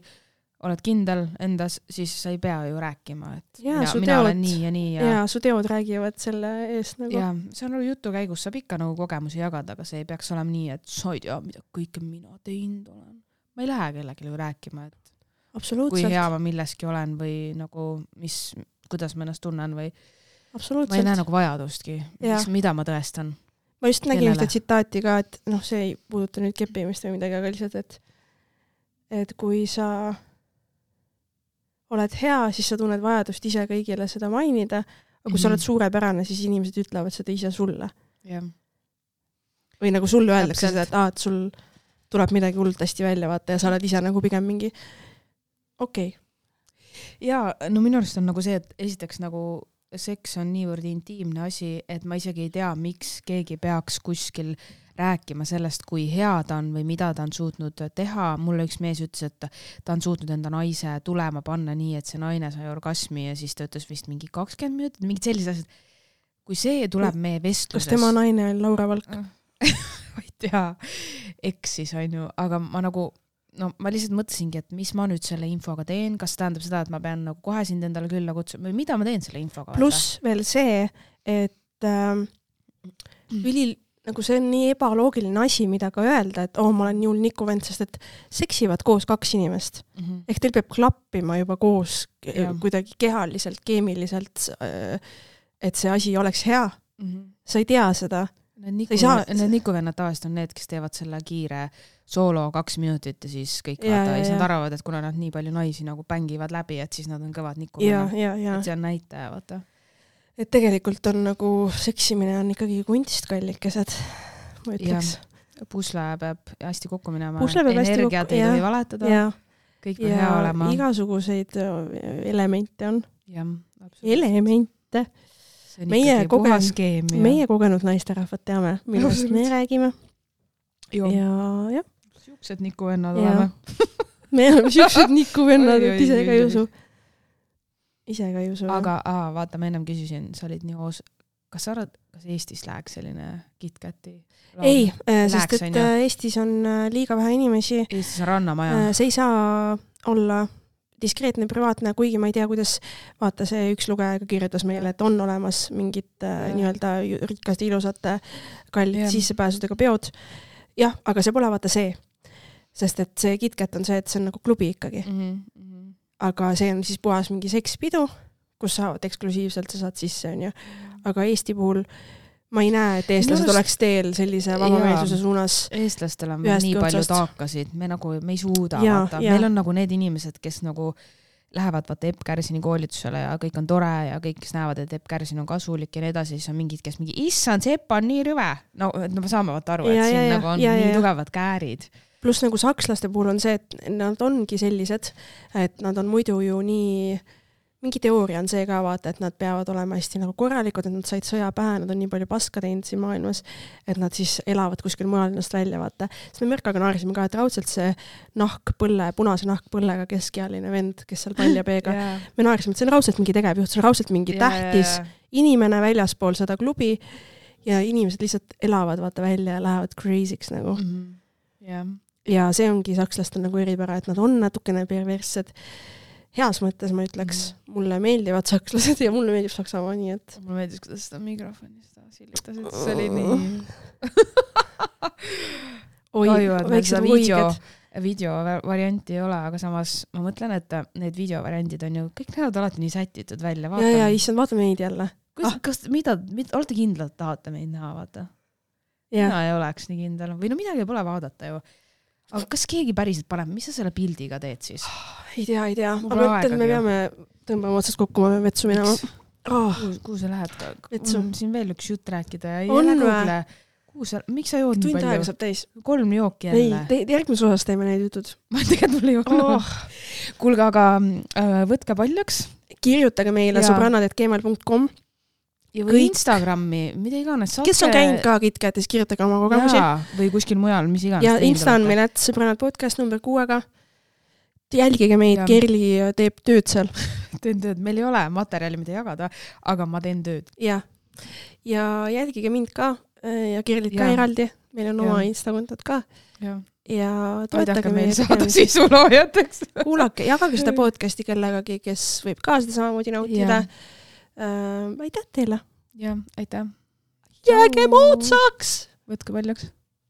oled kindel endas, siis sa ei pea ju rääkima, et mina olen nii ja nii. Ja su teod räägivad selle eest nagu. Ja see on jutu käigus, saab ikka nagu kogemusi jagada, aga see ei peaks olema nii, et sa ei tea, mida kõike mina teinud olen. Ma ei lähe kellelegi rääkima, et kui hea ma milleski olen või nagu kuidas ma ennast tunnen või ma ei näe nagu vajadustki, mida ma tõestan. Ma just nägin ühte tsitaati ka, et see ei puuduta nüüd keppimist või midagi, aga lihtsalt, et kui sa oled hea, siis sa tunned vajadust ise kõigile seda mainida, aga kui sa oled suurepärane, siis inimesed ütlevad seda ise sulle. Või nagu sulle öeldakse seda, et sul tuleb midagi hullult hästi välja vaata ja sa oled ise nagu pigem mingi okei. Ja no minu arust on nagu see, et esiteks nagu seks on niivõrd intiimne asi, et ma isegi ei tea, miks keegi peaks kuskil rääkima sellest, kui hea ta on või mida ta on suutnud teha. Mulle üks mees ütles, et ta on suutnud enda naise tulema panna nii, et see naine sai orgasmi ja siis ta ütles vist mingi 20 minutit, mingid sellised asjad. Kui see tuleb meie vestluses... Kas tema naine on Laura Valk? Ma ei tea, eksis on ju, aga ma lihtsalt mõtlesingi, et mis ma nüüd selle infoga teen, kas tähendab seda, et ma pean nagu kohe sind endale külla kutsuma või mida ma teen selle infoga? Pluss veel see, et nagu see on nii ebaloogiline asi, mida ka öelda, et ma olen nii hull nikuvend, sest et seksivad koos 2 inimest. Ehk teil peab klappima juba koos kuidagi kehaliselt, keemiliselt, et see asi oleks hea. Sa ei tea seda. Need nikuvennad tavaliselt on need, kes teevad selle kiire soolo 2 minutit ja siis kõik vaata, ja siis nad arvavad, et kuna nad nii palju naisi nagu bängivad läbi, et siis nad on kõvad nikuvennad. Et see on näitaja, vaata. Et tegelikult on nagu seksimine on ikkagi kunst kallikesed, ma ütleks. Pusle peab hästi kokku minema. Energiat ei tohi valetada. Kõik peab hea olema. Igasuguseid elemente on. Elemente. See on ikkagi puhas keemia. Meie kogenud naisterahvad teame, millest me räägime. Ja. Siuksed nikuvennad oleme. Me oleme siuksed nikuvennad, et ise ka ei usu. Aga vaata, ma ennem küsisin, sa olid nii kas sa arvad, kas Eestis läheks selline KitKati? Ei, sest et Eestis on liiga vähe inimesi. Eestis on rannamaja. See ei saa olla diskreetne, privaatne, kuigi ma ei tea, kuidas vaata see üks lugeja kirjutas meile, et on olemas mingid nii-öelda rikkaste ilusate kallid sissepääsudega peod. Jah, aga see pole vaata see. Sest et see KitKat on see, et see on nagu klubi ikkagi. Aga see on siis puhas mingi sekspidu, kus saavad eksklusiivselt, sa saad sisse, on ju. Aga Eesti puhul ma ei näe, et eestlased oleks teel sellise vabameelsuse suunas. Eestlastel on nii palju taakasid, me ei suuda vaata. Meil on nagu need inimesed, kes nagu lähevad vaata Epp Kärsini koolitusele ja kõik on tore ja kõik, kes näevad, et Epp Kärsin on kasulik ja nii edasi, siis on mingid, kes issand, see Epp on nii rüve. No me saame vaata aru, et siin nagu on nii tugevad käärid. Plus nagu sakslaste puhul on see, et nad ongi sellised, et nad on muidu ju nii, mingi teooria on see ka vaata, et nad peavad olema hästi nagu korralikud, et nad said sõja pähe, nad on nii palju paska teinud siin maailmas, et nad siis elavad kuskil mujal ennast välja vaata. Siis me Merkaga naarisime ka, et raudselt see punase nahkpõllega keskealine vend, kes seal paljapeega, me naarisime, et see on raudselt mingi tegevjuht, see on raudselt mingi tähtis inimene väljaspool seda klubi ja inimesed lihtsalt elavad vaata välja ja lähevad crazy'ks nagu. Ja see ongi sakslastel nagu eripära, et nad on natukene perverssed. Heas mõttes ma ütleks, mulle meeldivad sakslased ja mulle meeldib Saksamaa, nii et... Mulle meeldis, kuidas seda mikrofoni silitasid, see oli nii... Kahju, et meil seda video varianti ei ole, aga samas ma mõtlen, et need videovariandid on ju, kõik näevad alati nii sätitud välja. Ja, issand, vaata meid jälle. Olete kindlalt tahate meid näha, vaata? Mina ei oleks nii kindel. Või no midagi pole vaadata ju. Aga kas keegi päriselt paneb, mis sa selle pildiga teed siis? Ei tea. Aga mõtlen, me peame tõmbama otsast kokku, ma peame vetsu minema. Kuhu sa lähed? Vetsu. Siin veel üks jutt rääkida. On või? Miks sa jood nii palju? Tund aega saab täis. 3 jooki jälle. Ei, järgmises osas teeme neid jutud. Ma tegelikult mul ei jooknud. Kuulge, aga võtke paljaks. Kirjutage meile sõbrannad@gmail.com ja või Instagrami, mida iganes saate. Kes on käinud ka KitKatis, kirjutage oma kogemusi. Või kuskil mujal, mis iganes. Ja Insta on meil sõbrannad podcast number 6-ga. Jälgige meid, Kerli teeb tööd seal. Teen tööd, meil ei ole materjali, mida jagada, aga ma teen tööd. Ja jälgige mind ka ja Kerlit ka eraldi. Meil on oma Insta-kontod ka. ja toetage toetage meil saada sisuloojateks. Kuulake, jagage seda podcasti kellegagi, kes võib ka seda samamoodi nautida. Aitäh teile! Ja, aitäh! Jääge moodsaks! Võtke paljaks!